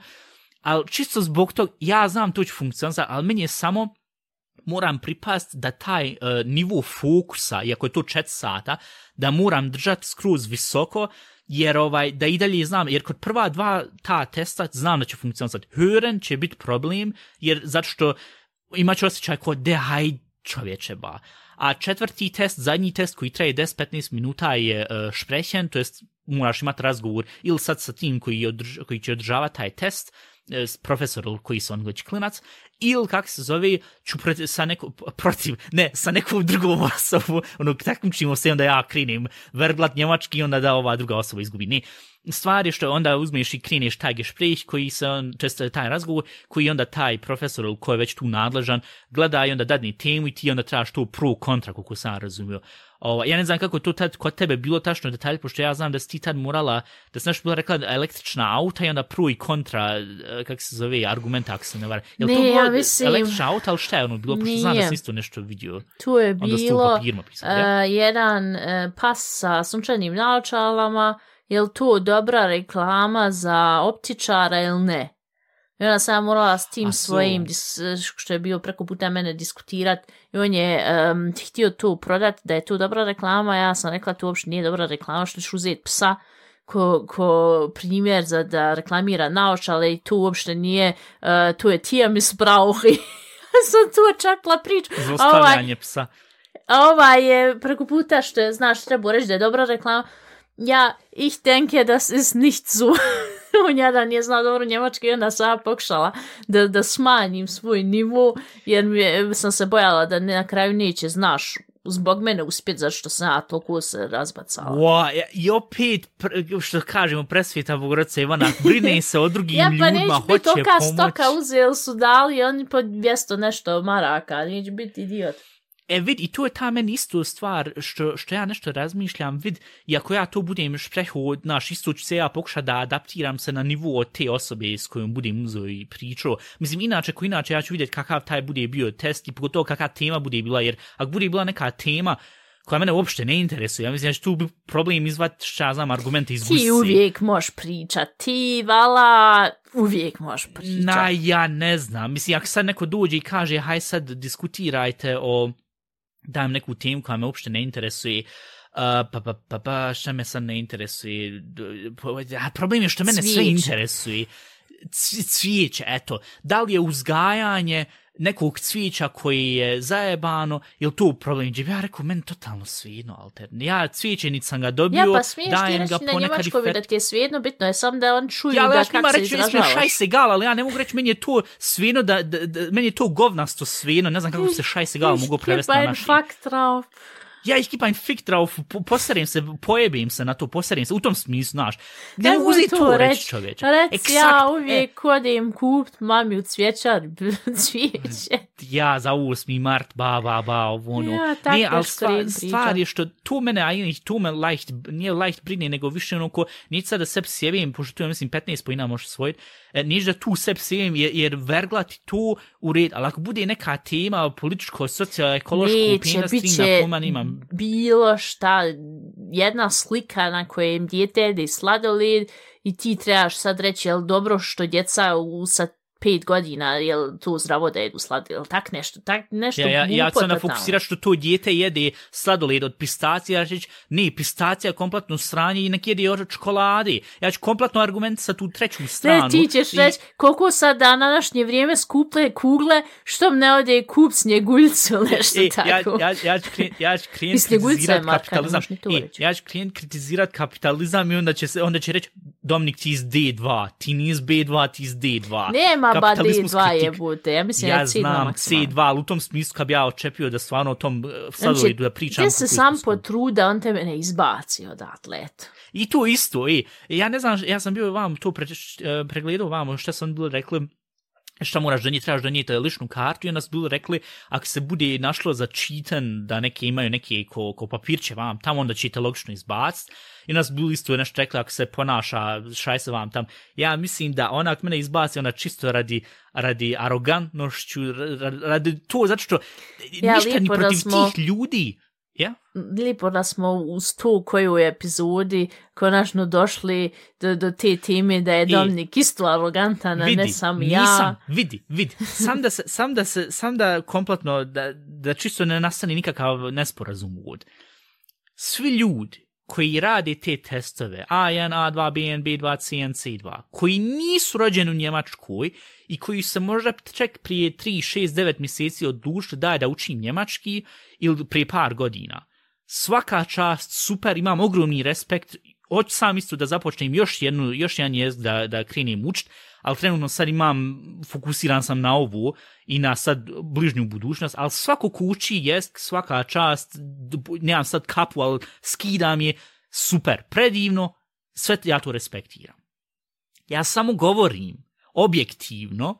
Ali čisto zbog tog, ja znam to će funkcionati, ali meni je samo moram pripast da taj nivo fokusa, iako je to 4 sata, da moram držati skroz visoko, jer da i dalje znam, jer kod prva 2 ta testa znam da će funkcionati. Hören će biti problem, jer zato što imat će osjećaj kao haj čovječe ba. A 4. test, zadnji test koji traje 10-15 minuta je sprechen, to jest moraš imati razgovor ili sad sa tim koji će održavati taj test, s profesorom koji su anglički klinac, ili kako se zove, ću sa nekom drugom osobom, takmičimo se, onda ja krenem verblat njemački, onda da ova druga osoba izgubi. Ne, stvar je što onda uzmeš i kreneš taj gespräch koji se, često taj razgovor, koji onda taj profesor koji je već tu nadležan, gleda i onda dadne temu i ti onda trebaš to pro kontra, kako sam razumio. Ja ne znam kako je to tad kod tebe bilo tačno detalj, pošto ja znam da si ti tad morala, da si nešto bila rekla električna auta i onda pro i kontra, kako se zove, argumenta, ako se ne vara. Je li to bilo električna auta, ali šta je ono bilo? Pošto znam da si isto nešto vidio. Tu je bilo jedan pas sa sunčanim naočalama, je li to dobra reklama za optičara ili ne? I onda sam morala s tim svojim, što je bio preko puta mene diskutirati, i on je htio to prodati, da je to dobra reklama, ja sam rekla to uopšte nije dobra reklama, što ćeš uzeti psa ko primjer za da reklamira naočale i to uopšte nije, to je Tiermissbrauch i sam tu čakla priču. Zlostavljanje psa. A je preko puta što je, znaš, treba reći da je dobra reklama. Ja, ich denke, das ist nicht so. On jedan je znao dobro njemački i onda sam pokušala da smanjim svoj nivo, jer sam se bojala da na kraju neće, znaš, zbog mene uspjeti, zašto sam ja toliko se razbacala. I opet, što kažemo, presvjeta Bogorodica Ivana, brine se o drugim ljudima, hoće pomoć. Ja, pa neće biti toka stoka uzeli su dali, oni po 200 nešto maraka, neće biti idiot. Vid, i to je ta meni isto stvar što ja nešto razmišljam, vid, i ako ja to budem šprehod, isto ću se ja pokušati da adaptiram se na nivo od te osobe s kojom budem uzeo i pričao. Mislim, inače ja ću vidjeti kakav taj bude bio test i pogotovo kakva tema bude bila, jer ako bude bila neka tema koja mene uopšte ne interesuje, ja mislim da će tu bi problem izvati, što ja znam, argumente iz gusi. Ti uvijek možeš pričati, ti, vala, uvijek možeš pričati. Ja ne znam, mislim, ako sad neko dođe i kaže, haj sad diskutirajte o dajem neku temu koja me uopšte ne interesuje, šta me sad ne interesuje, problem je što mene sve interesuje, cvijeće, eto, da li je uzgajanje nekog cvijeća koji je zajebano, ili to problem, gdje bi ja rekao, meni totalno svijedno, Alter, ja cvijeće niti sam ga dobio, dajem ga ponekad i fet. Ja, pa smiješ ti reći na njemačkovi da ti je svijedno, bitno je sam da on čuju da kako se izražavaš. Šajsegal, ali ja ne mogu reći, meni je to svijedno, meni je to govnasto svijedno, ne znam kako se šajsegal mogu prevesti na naši. Ja ich kipa ein Fick drauf, poserim se, pojebim se na to, poserim se, u tom smislu, znaš. Ne mogu uzeti to reći, čovječe. Reci, ja uvijek hodim kupit mami u cvijećar, cvijeće. Ja, za 8. mart, ono. Ja, tako ne, ali stvar je što to mene, to me nije leicht brine, nego više ono ko, neće sad da sebi sjevim, pošto tu ja mislim 15 pojina možeš svojiti, neće da tu sebi sjevim, jer verglati to u red, ali ako bude neka tema političko, socio-ekološko, neće, bilo šta, jedna slika na kojem dijete jede sladoled i ti trebaš sad reći, jel dobro što djeca sa 5 godina, jel to zdravo da jedu sladoled, jel tak nešto ja ću onda fokusirati što to dijete jede sladoled od pistacija, ja ću reći, ne, pistacija je kompletno sranje i nek jede od čokolade. Ja ću kompletno argument sa tu treću stranu. Ne, ti ćeš reći, koliko sad na današnje vrijeme skuple kugle, što ne ode kup snjeguljcu ili nešto tako. Ja ću kritizirati kapitalizam i onda će reći, Dominik, ti iz D2, ti nije iz B2, ti iz D2. Nema ba D2 jebute, ja mislim ja znam C2, ali u tom smislu kad bi ja očepio da stvarno o tom sladoledu da pričam. Gdje se sam potruda, on tebe ne izbaci odatle, eto. I to isto, ja ne znam, ja sam bio vam to pregledao vam što sam bilo rekli, šta moraš donijeti, trebaš donijeti ličnu kartu i onda su bili rekli, ako se bude našlo za čitan da neke imaju neke ko papirće vam tamo, onda ćete logično izbaciti. I onda su bili isto nešto rekli, ako se ponaša šajse vam tam. Ja mislim da ona ako mene izbaci, ona čisto radi arogantnošću, radi to, zato što ništa ni protiv tih ljudi. Ja? Lijepo da smo uz tu koju epizodi konačno došli do te teme da je Dominik isto arogantan, a ne sam ja. Nisam, vidi. Sam da kompletno, da čisto ne nastane nikakav nesporazum ovdje. Svi ljudi koji rade te testove, A1, A2, B1, B2, C1, C2, koji nisu rođeni u Njemačkoj i koji se možda čak prije 3, 6, 9 mjeseci odlučili da učim njemački ili prije par godina. Svaka čast, super, imam ogromni respekt, hoću sam isto da započnem još jedan jezik da krenem učiti, ali trenutno sad fokusiran sam na ovu i na sad bližnju budućnost, ali svako ko uči jezik, svaka čast, nemam sad kapu, ali skidam je, super, predivno, sve ja to respektiram. Ja samo govorim objektivno,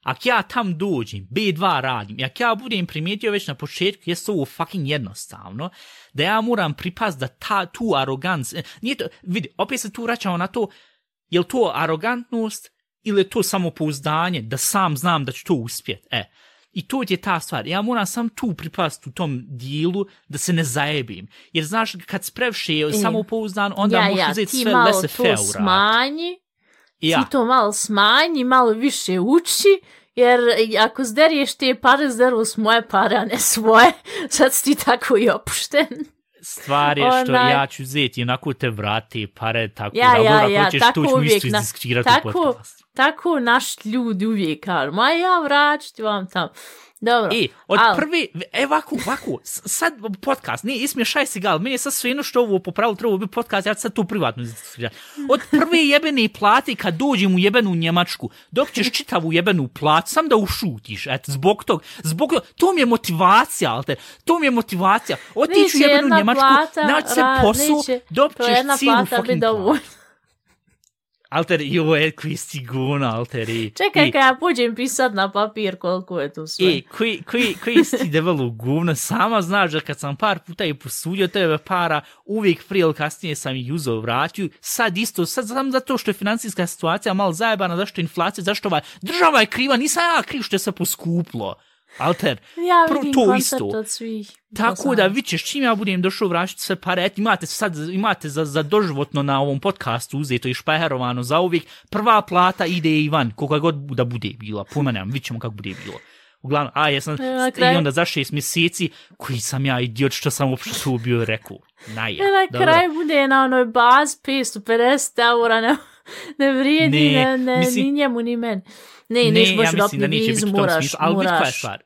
ako ja tam dođem, B2 radim, ako ja budem primijetio već na početku, jest ovo fucking jednostavno, da ja moram pripast da tu aroganc, nije to, vidi, opet se tu vraćamo na to, je li to arogantnost ili je to samopouzdanje, da sam znam da ću to uspjeti, I to je ta stvar, ja moram sam tu pripast u tom dijelu da se ne zajebim, jer znaš, kad sprevše samopouzdan, onda možeš uzeti sve laissez-faire smanji. Ti to malo smanji, malo više uči, jer ako zderiješ te pare, zderu s moje pare, a ne svoje, sad si ti tako i opušten. Stvar je što ja ću uzeti, onako te vrati pare, tako da hoćeš to ću isto izdiskirati u podcastu. Tako naši ljudi uvijek kažu, ma ja vraću vam tam. Dobro. Od prve, ovako, sad podcast, nije ismiješaj si gal, meni je sad svejedno što ovo popravilo, trebalo bi podcast, ja ću sad to privatno izdiskirati. Od prve jebene plate kad dođem u jebenu Njemačku, dok ćeš čitavu jebenu platu, sam da ušutiš, zbog tog, to mi je motivacija, Alter, to mi je motivacija. Otići u jebenu Njemačku, naći se posao, dok ćeš cijelu fucking platu. Alter, joj, koji si gona, Alter. Čekaj, kad ja pođem pisat na papir koliko je to sve. Koji si debelo govno, sama znaš da kad sam par puta i posudio tebe para, uvijek prije ili kasnije sam ih uzeo vratio, sad sam zato što je financijska situacija malo zajebana, zašto je inflacija, zašto država je kriva, nisam ja kriv što je se poskuplo. Alter, ja vidim to isto. Od svih. Tako da vićeš, čim ja budem došao vraćati sve pare, imate za doživotno na ovom podcastu uzeto i špeherovano za uvijek, prva plata ide i van, koga god da bude bila, pomenem, vidćemo kako bude bilo. Uglavnom, i onda za 6 mjeseci, koji sam ja idiot što sam uopšte to bio rekao. Na kraj bude na onoj baz 550 eura, ne vrijedi ni njemu ni meni. Ne, ja mislim da neće biti u tom smislu, ali vidi koja je stvar.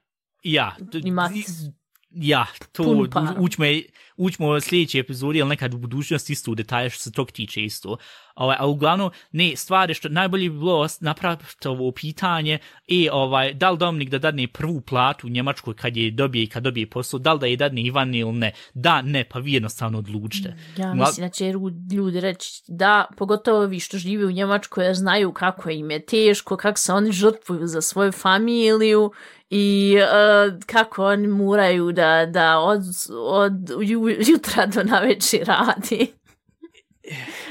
Učimo u sljedećoj epizodi, ili nekad u budućnosti isto u detalje što se tog tiče isto. A uglavnom, stvar je što najbolje bi bilo napraviti ovo pitanje da li Dominik da dadne prvu platu u Njemačkoj kad dobije posao, da li da je dadne Ivan ili ne. Da, ne, pa vi jednostavno odlučite. Ja mislim da će ljudi reći da, pogotovo vi što žive u Njemačkoj, jer znaju kako im je teško, kako se oni žrtvuju za svoju familiju i kako oni moraju da od jutra do navečer radi.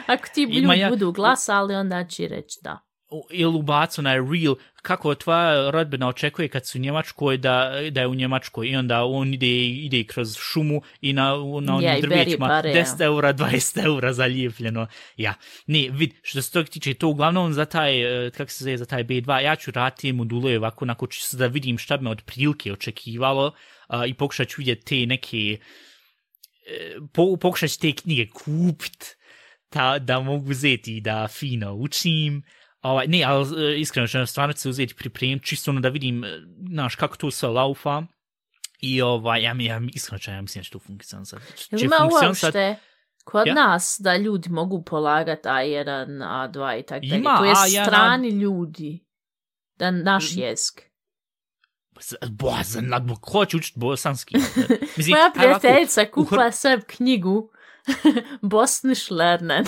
Ako ti ljudi budu glasali, onda će reći da. Ili ubacu na Reel, kako tvoja rodbina očekuje kad su u Njemačkoj da je u Njemačkoj i onda on ide kroz šumu i na onim drvećima 10 eura, 20 eura zalijepljeno. Ne, što se tog tiče, to uglavnom za taj, kako se zove, za taj B2, ja ću raditi module ovako, onako ću da vidim šta bi me od prilike očekivalo i pokušat ću vidjeti te neke, pokušat ću te knjige kupit, da mogu uzeti da fino učim. Ne, ali iskreno ću stvarno se uzeti pripremiti, čisto da vidim, znaš, kako to sve laufa. I iskreno ću, ja mislim da će to funkcionisati. Ima uopšte kod nas da ljudi mogu polagati A1, A2 i tako dalje. To je strani ljudi, da naš jezik. Ko će učiti bosanski? Moja prijateljica kupila sebi knjigu Bosnisch lernen.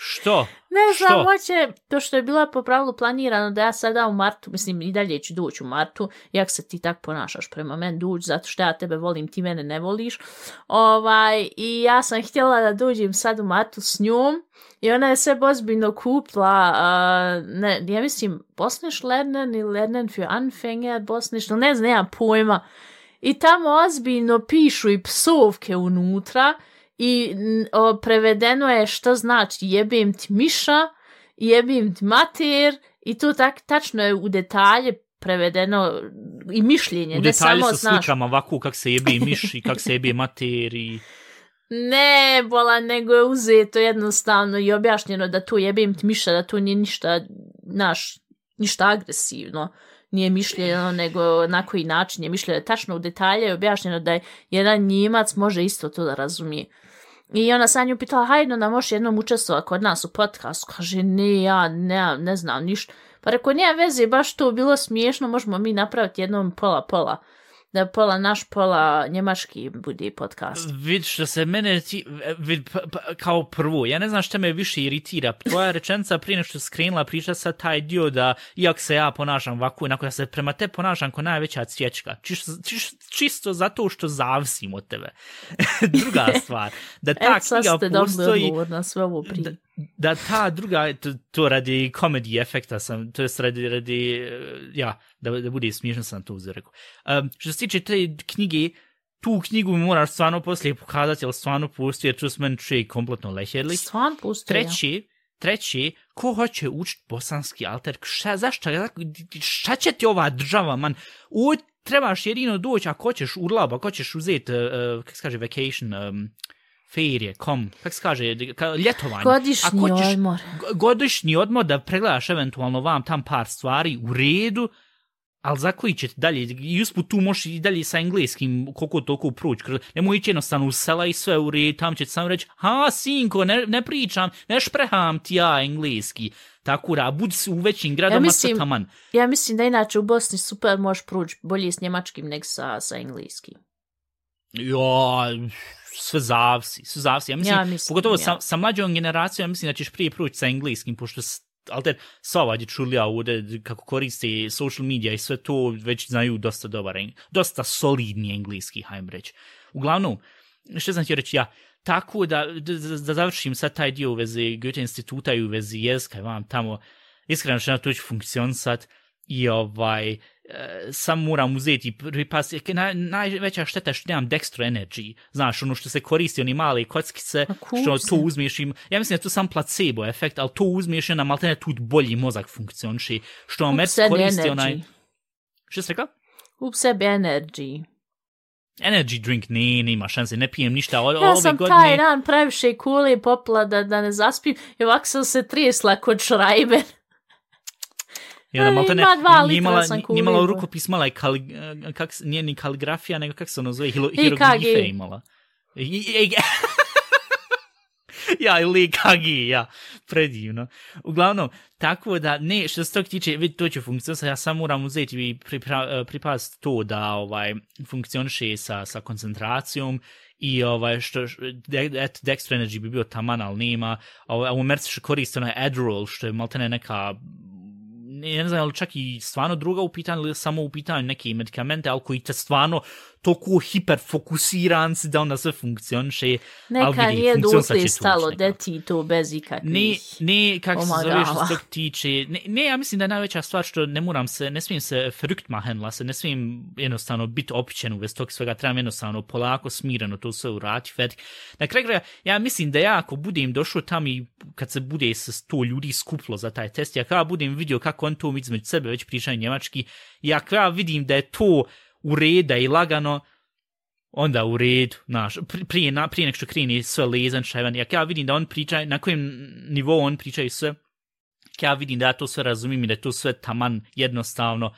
Što? Ne znam, Što? hoće, to što je bilo po pravilu planirano da ja sada u martu, mislim i dalje ću doći u martu, jak se ti tak ponašaš prema meni, doći zato što ja tebe volim, ti mene ne voliš. I ja sam htjela da dođem sad u martu s njom i ona je sve ozbiljno kupla, ja mislim, Bosnisch lernen ili lernen für Anfänger, Bosnisch, ne znam, nemam pojma. I tamo ozbiljno pišu i psovke unutra, i prevedeno je što znači jebem ti miša, jebem ti mater i to tačno je u detalje prevedeno i mišljenje. U detalje sa slikama ovako kak se jebe miš i kak se jebe mater i... Ne, bola, nego je uzeto jednostavno i objašnjeno da to jebem ti miša, da to nije ništa agresivno. Nije mišljeno, nego na koji način je mišljeno. Tačno u detalje je objašnjeno da je jedan Njemac može isto to da razumije. I ona sa nju pitala, hajde da možeš jednom učestvovati kod nas u podcastu. Kaže, ne, ja ne znam ništa. Pa rekao, nije veze, baš to bilo smiješno, možemo mi napraviti jednom pola. Da pola naš, pola njemački bude podcast. Vid što se mene kao prvo, ja ne znam šta me više iritira. Tvoja rečenica prije nešto skrenula priča sad taj dio da iako se ja ponašam ovako, onako ja se prema te ponašam kao najveća cvječka. Čisto zato što zavisim od tebe. Druga stvar, da ta knjiga postoji... na sve ovo prije. Da ta druga, to radi comedy efekta sam, to je radi da bude smiješno sam to uzrekao. Što se tiče te knjige, tu knjigu mi moraš stvarno poslije pokazati, ali stvarno postoji, jer to s meni čuje kompletno leherli. Stvarno postoji, Treći, ko hoće učiti bosanski alter, šta će ti ova država, man? Trebaš jedino doći, ako hoćeš urlab, ako hoćeš uzeti, kako se kaže, vacation, ferije, kako se kaže, ljetovanje. Godišnji odmor da pregledaš eventualno vam tam par stvari u redu, ali za koji ćete dalje, i usput tu možeš i dalje sa engleskim koliko toliko proći, nemoj ići jednostavno u sela i sve u redu, tam ćete samo reći, sinko, ne pričam, ne špreham ti ja engleski, tako da, budi u većim gradoma taman. Ja mislim da inače u Bosni super možeš proći bolje s njemačkim nego sa engleskim. Sve zavisi. Ja mislim pogotovo sa mlađom generacijom, ja mislim da ćeš prije proći sa engleskim, pošto sva ova dječulja ovdje kako koriste social media i sve to već znaju dosta solidni engleski, hajmo reći. Uglavnom, što sam htio reći tako da završim sad taj dio u vezi Goethe instituta i u vezi jezika, vam tamo iskreno što na to ću funkcionisati i sam moram uzeti pripas, najveća šteta što nemam dextro energy, znaš, ono što se koristi, oni male kockice, što to uzmiješ im, ja mislim da je to sam placebo efekt, ali to uzmiješ i onda maltene tu bolji mozak funkcioniši, što vam koristi onaj... Što si rekao? Up sebi energy. Energy drink, nema šanse, ne pijem ništa ja sam taj dan previše kule popila da ne zaspim i ovako sam se trijesla kod Šrajben. I onda maltene nije imala rukopis, mala je nije ni kaligrafija, nego kako se ono zove, hieroglife imala. Ili kagi, predivno. Uglavnom, tako da, što se tog tiče, vidi, to će funkcionisati, ja sam moram uzeti i pripaziti to da funkcioniše sa koncentracijom i što dextro energy bi bio taman, ali nema. U Americi što koriste onaj Adderall, što je maltene neka... ne znam, ali čak i stvarno druga u pitanju ili samo u pitanju neke medikamente, ali koji te stvarno toliko hiperfokusiran si da onda sve funkcioniše. Neka nije dotle stalo, da ti to bez ikakvih. Ne, kako se zove što se tog tiče. Ne, ja mislim da je najveća stvar što ne smijem se fruktmahenla, ne smijem jednostavno biti opićen u vez tog svega, trebam jednostavno polako, smireno to sve uraditi. Na kraju kraja, ja mislim da ja ako budem došao tam i kad se bude se 100 ljudi skuplo za taj test, ja kada budem vidio kako on to između sebe već pričaju njemački, ja kada vidim da je to u reda i lagano, onda u redu, prije nek što kreni sve lezan šajvan, ja vidim da on priča, na kojem nivou on pričaju sve, ja vidim da ja to sve razumijem i da je to sve taman jednostavno,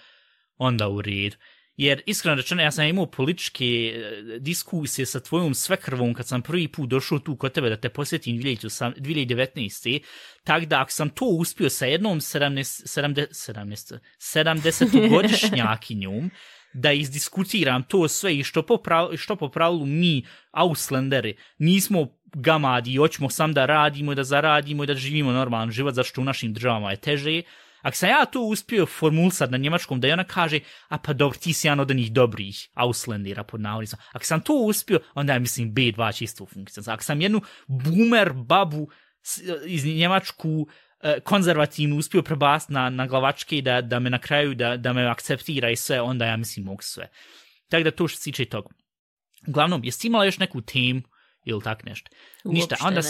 onda u redu. Jer iskreno rečeno, ja sam imao političke diskusije sa tvojom svekrvom kad sam prvi put došao tu kod tebe da te posjetim 2019. Tako da ako sam to uspio sa jednom 70-godišnjakinjom, da izdiskutiram to sve i što po pravilu mi, Ausländeri, nismo gamadi i hoćemo sam da radimo, da zaradimo i da živimo normalan život, zašto u našim državama je teže. Ako sam ja to uspio formulisati na njemačkom, da je ona kaže, a pa dobro, ti si jedan od onih dobrih Ausländera pod navodnicima. Ako sam to uspio, onda je, mislim, B2 čisto funkcija. Ako sam jednu boomer babu iz Njemačku konzervativno uspio prebaciti na glavačke i da me na kraju, da me akceptira i sve, onda ja mislim mogu sve. Tako da to što se tiče toga. Uglavnom, jesi imala još neku temu ili tak nešto? Ništa, onda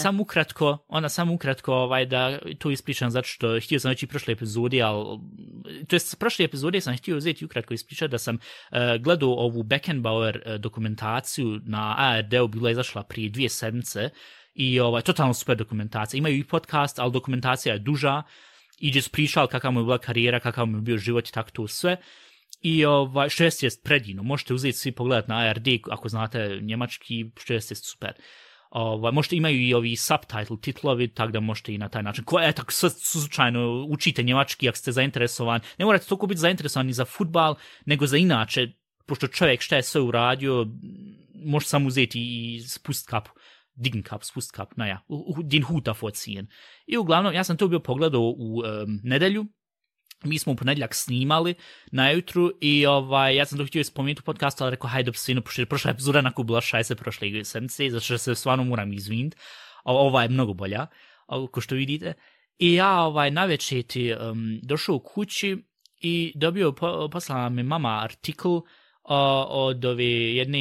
sam ukratko da to ispričam zato što htio sam već i prošle epizode, to jest prošle epizode sam htio uzeti ukratko ispričati da sam gledao ovu Beckenbauer dokumentaciju na ARD-u, bila je izašla prije 2 sedmice i totalno super dokumentacija. Imaju i podcast, ali dokumentacija je duža i gdje su pričali kakva mu je bila karijera, kakav mu je bio život i tako to sve. I što jest predivno, možete uzeti svi pogledati na ARD ako znate njemački, što jest super. Možete imaju i ovi subtitle titlovi, tako da možete i na taj način. Tako slučajno učite njemački ako ste zainteresovani. Ne morate toliko biti zainteresovani za fudbal, nego za inače, pošto čovjek šta je sve uradio, može sam uzeti i spust kapu. Dign kap, spust kap, din huta vorziehen. I uglavnom, ja sam to bio pogledao u nedelju. Mi smo u ponedjeljak snimali najutru i ja sam to htio spomenuti u podcastu, ali rekao, hajde, pošto je prošla epizoda onako bila šajse prošle sedmice, zato što se stvarno moram izviniti. Ova je mnogo bolja, ko što vidite. I ja navečer došao u kući i dobio, poslala mi mama artikl od ove jedne,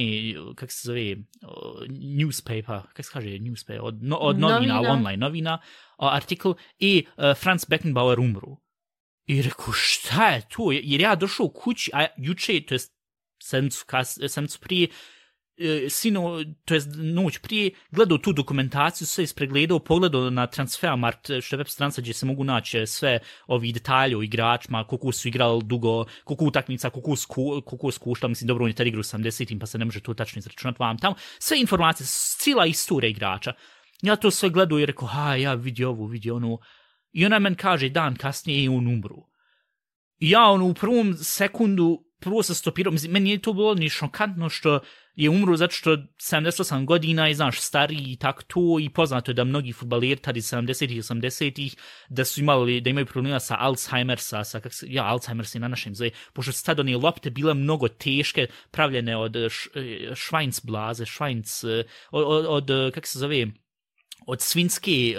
kako se zove, newspaper, kako se kaže newspaper, od novina, online novina, artikl i Franz Beckenbauer umru. I rekao, šta je to? Jer ja došao u kući, a juče, to jest sedmicu prije, to jest noć prije, gledao tu dokumentaciju, sve ispregledao, pogledao na Transfermarkt, što je web stranica gdje se mogu naći sve ovi detalje o igračima, koliko su igrali dugo, koliko utakmica, koliko skušla, mislim, dobro, on je tad igra u 70-im, pa se ne može to tačno izračunati vam tamo. Sve informacije, cijela istorija igrača. Ja to sve gledao i rekao, ja vidi ovo, vidi ono. I ona meni kaže, dan kasnije je on umru. I ja u prvom sekundu, prvo se stopirao, mislim, meni je to bilo ni šokantno što je umro zato što 78 godina i znaš, stariji i tako to, i poznato je da mnogi fudbaleri tada iz 70-ih i 80-ih da su imali, da imaju problema sa Alzheimersa, Alzheimer se na našem zove, pošto su tada one lopte bile mnogo teške, pravljene od švajncblaze, kako se zove, od svinjske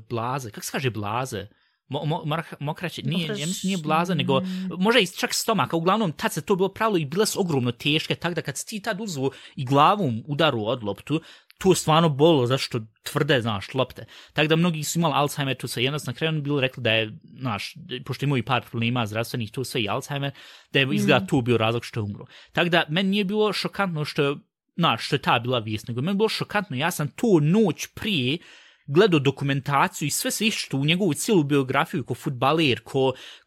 blaze, kako se kaže blaze? Mokraće, nije blaza, nego može i čak stomaka. Uglavnom, tad se to bilo pravilo i bile su ogromno teške, tako da kad si ti tad uzvu i glavom udaru od loptu, to je stvarno bolilo, zašto tvrde, znaš, lopte. Tako da mnogi su imali Alzheimer, to se jednostavno na kraju bilo rekli da je, znaš, pošto imaju par problema zdravstvenih, to sve i Alzheimer, da je izgleda tu bio razlog što je umro. Tako da, meni nije bilo šokantno što je ta bila vijest, nego meni bilo šokantno, ja sam to noć prije gledao dokumentaciju i sve se išlo u njegovu cijelu biografiju ko fudbaler,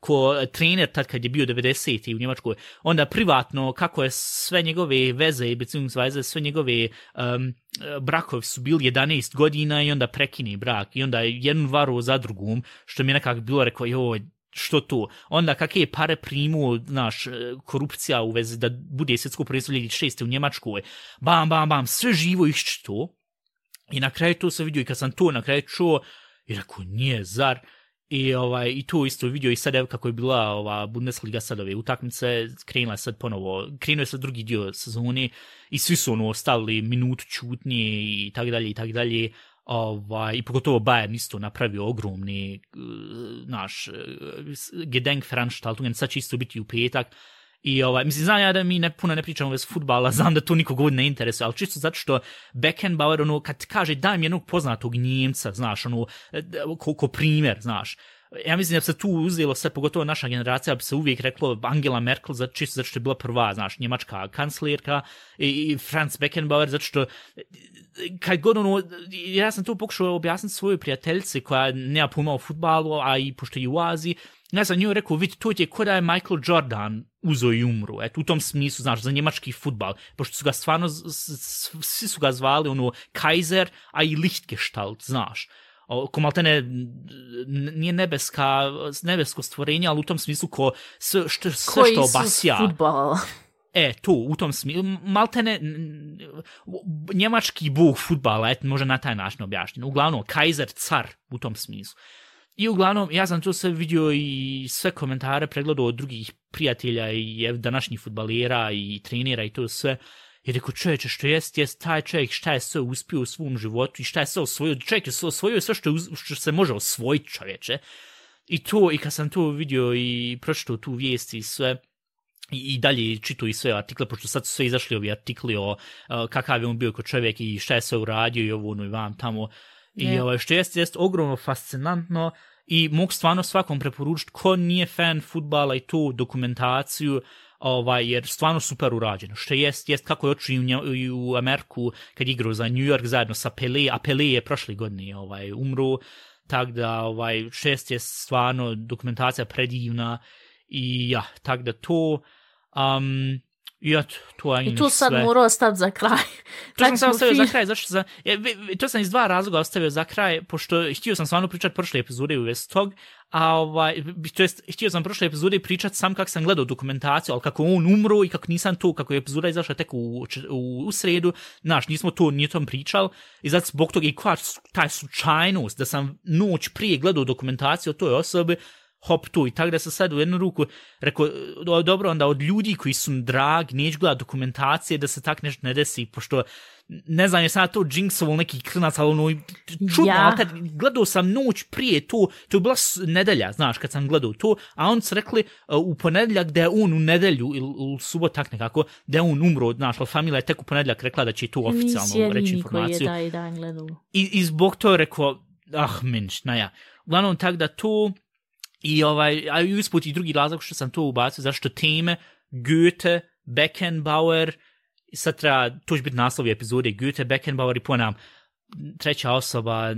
ko trener tad kad je bio 90. u Njemačkoj, onda privatno kako je sve njegove veze i beziehungsweise sve njegove brakovi su bili 11 godina i onda prekine brak i onda jednu varu za drugom, što mi je nekako bilo rekao, joj, što to? Onda kakve pare primu, znaš, korupcija u vezi da bude svjetsko prvenstvo 2006. u Njemačkoj, bam, sve živo iščito. I na kraju to sam vidio i kad sam to na kraju čuo i rekao, nije, zar? I to isto vidio i sad evo kako je bila ova Bundesliga sad ove utakmice, krenula sad ponovo, krenuo je sad drugi dio sezone i svi su stavili minutu čutnje i tak dalje. I pogotovo Bayern isto napravio ogromni Gedenkveranstaltungen, sad će isto biti u petak. I mislim, znam ja da mi puno ne pričamo već fudbala, znam da to nikog ne interesuje, ali čisto zato što Beckenbauer, kad kaže daj mi jednog poznatog Njemca, znaš, ko primjer, znaš, ja mislim da bi se tu uzelo sve, pogotovo naša generacija, bi se uvijek reklo Angela Merkel, čisto zato što je bila prva, znaš, njemačka kanclerka i Franz Beckenbauer, zato što kad god ja sam tu pokušao objasniti svojoj prijateljici koja nema pojma o fudbalu, a i pošto je u Aziji, ja sam njoj rekao, vidi, to je ko da je Michael Jordan uzo i umru, u tom smislu, znaš, za njemački fudbal, pošto su ga stvarno, svi su ga zvali, Kaiser, a i Lichtgestalt, znaš. ko maltene nije nebesko stvorenje, ali u tom smislu sve što obasja. Koji futbal. To, u tom smislu, maltene njemački bog fudbala, može na taj način objašnjeno. Uglavnom, Kaiser, car, u tom smislu. I uglavnom, ja sam to sve vidio i sve komentare pregledao od drugih prijatelja i današnjih fudbalera i trenera i to sve. I rekao, čovječe, što jest taj čovjek, šta je sve uspio u svom životu i šta je sve osvojio. Čovjek je osvojio sve što se može osvojiti, čovječe. I kad sam to vidio i pročitao tu vijest i sve, i dalje čitao i sve artikle, pošto sad su sve izašli ovi artikli o kakav je on bio kao čovjek i šta je sve uradio i ovo, i vam tamo. I što jest ogromno fascinantno i mogu stvarno svakom preporučiti ko nije fan fudbala i tu dokumentaciju, jer stvarno super urađeno. Što jest kako je očeo i u Ameriku kad igrao za New York zajedno sa Pelé, a Pelé je prošle godine umro, tako da šest je stvarno dokumentacija predivna i tako da to i tu sad morao staviti za kraj. To sam ostavio za kraj, to sam iz dva razloga ostavio za kraj, pošto htio sam stvarno pričati prošle epizode u vezi tog, htio sam prošle epizode pričati sam kako sam gledao dokumentaciju, ali kako on umro i kako nisam to, kako je epizoda izašla tek u sredu, nismo to ni o tom pričali, i zato zbog toga i koja taj slučajnost da sam noć prije gledao dokumentaciju o toj osobi, hop tu, i tako da sam sad u jednu ruku rekao, dobro, onda od ljudi koji su drag, neću gledati dokumentacije da se tak nešto ne desi, pošto ne znam, jesam to jinxoval neki klinac, ali čudno, ali kad gledao sam noć prije to je bila nedelja, znaš, kad sam gledao to, a oni su rekli u ponedjeljak da je on u nedelju, ili subot tak nekako, da je on umro, znaš, ali familija je tek u ponedjeljak rekla da će tu oficijalno reći informaciju. I zbog to je rekao, uglavnom tak da to. I usput i drugi razlog što sam to ubacio, zašto teme Goethe, Beckenbauer, sad treba, to će biti naslovi epizode, Goethe, Beckenbauer i ponam treća osoba,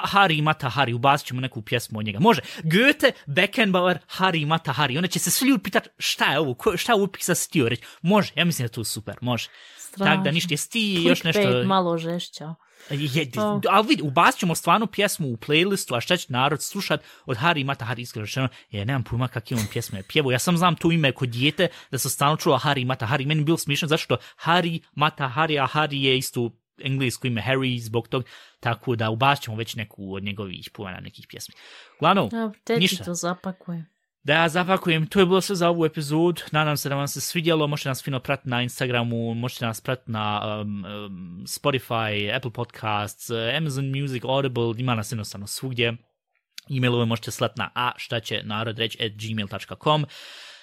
Hari Mata Hari, ubacit ćemo neku pjesmu od njega. Može, Goethe, Beckenbauer, Hari Mata Hari, onda će se svi ljudi pitati šta je ovo pisat si htio reći. Može, ja mislim da je to super, može. Tako da ništa, jesi ti još nešto... Clickbait malo žešća. Ali vidi, ubacit ćemo stvarno pjesmu u playlistu, a šta će narod slušat od Hari Mata Hari, iskreno rečeno, nemam pojma kakve on pjesme je pjevao. Ja sam znam to ime kod dijete da sam stalno čula Hari Mata Hari. Meni je bilo smiješno zašto Hari Mata Hari, a Hari je isto englesko ime Harry zbog tog, tako da ubacit ćemo već neku od njegovih pojena nekih pjesmi. Uglavnom, ništa. To zapakujem. Da ja zapakujem, to je bilo sve za ovu epizodu, nadam se da vam se svidjelo, možete nas fino pratiti na Instagramu, možete nas pratiti na Spotify, Apple Podcasts, Amazon Music, Audible, ima nas jednostavno svugdje, e-mailove možete slati na a.šta-će-narod-reć@gmail.com.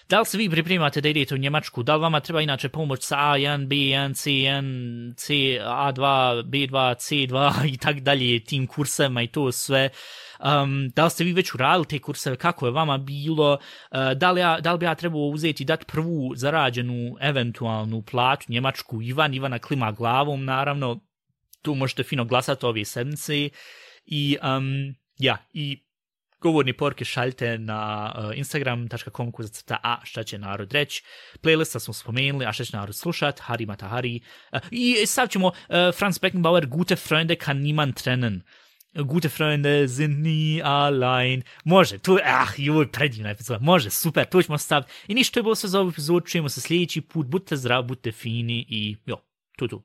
Da li se vi pripremate da idete u Njemačku, da li vama treba inače pomoć sa A1, B1, C1, C, A2, B2, C2 i tak dalje, tim kursama i to sve. Da li ste vi već uradili te kurseve, kako je vama bilo, da li bi ja trebao uzeti i dati prvu zarađenu eventualnu platu njemačku. Ivana klima glavom, naravno, tu možete fino glasati ove sedmice i govorni poruke šaljite na instagram.com/a šta će narod reći. Playlista smo spomenuli, a šta će narod slušat, Hari Mata Hari. I sad ćemo Franz Beckenbauer, Gute Freunde kann niemand trennen. Gute Freunde sind nie allein. Može, to je predivna epizoda. Može, super, to ćemo staviti. I ništa, to je bilo sve za ovu epizodu. Čujemo se sljedeći put. Budite zdravi, budite fini i tu.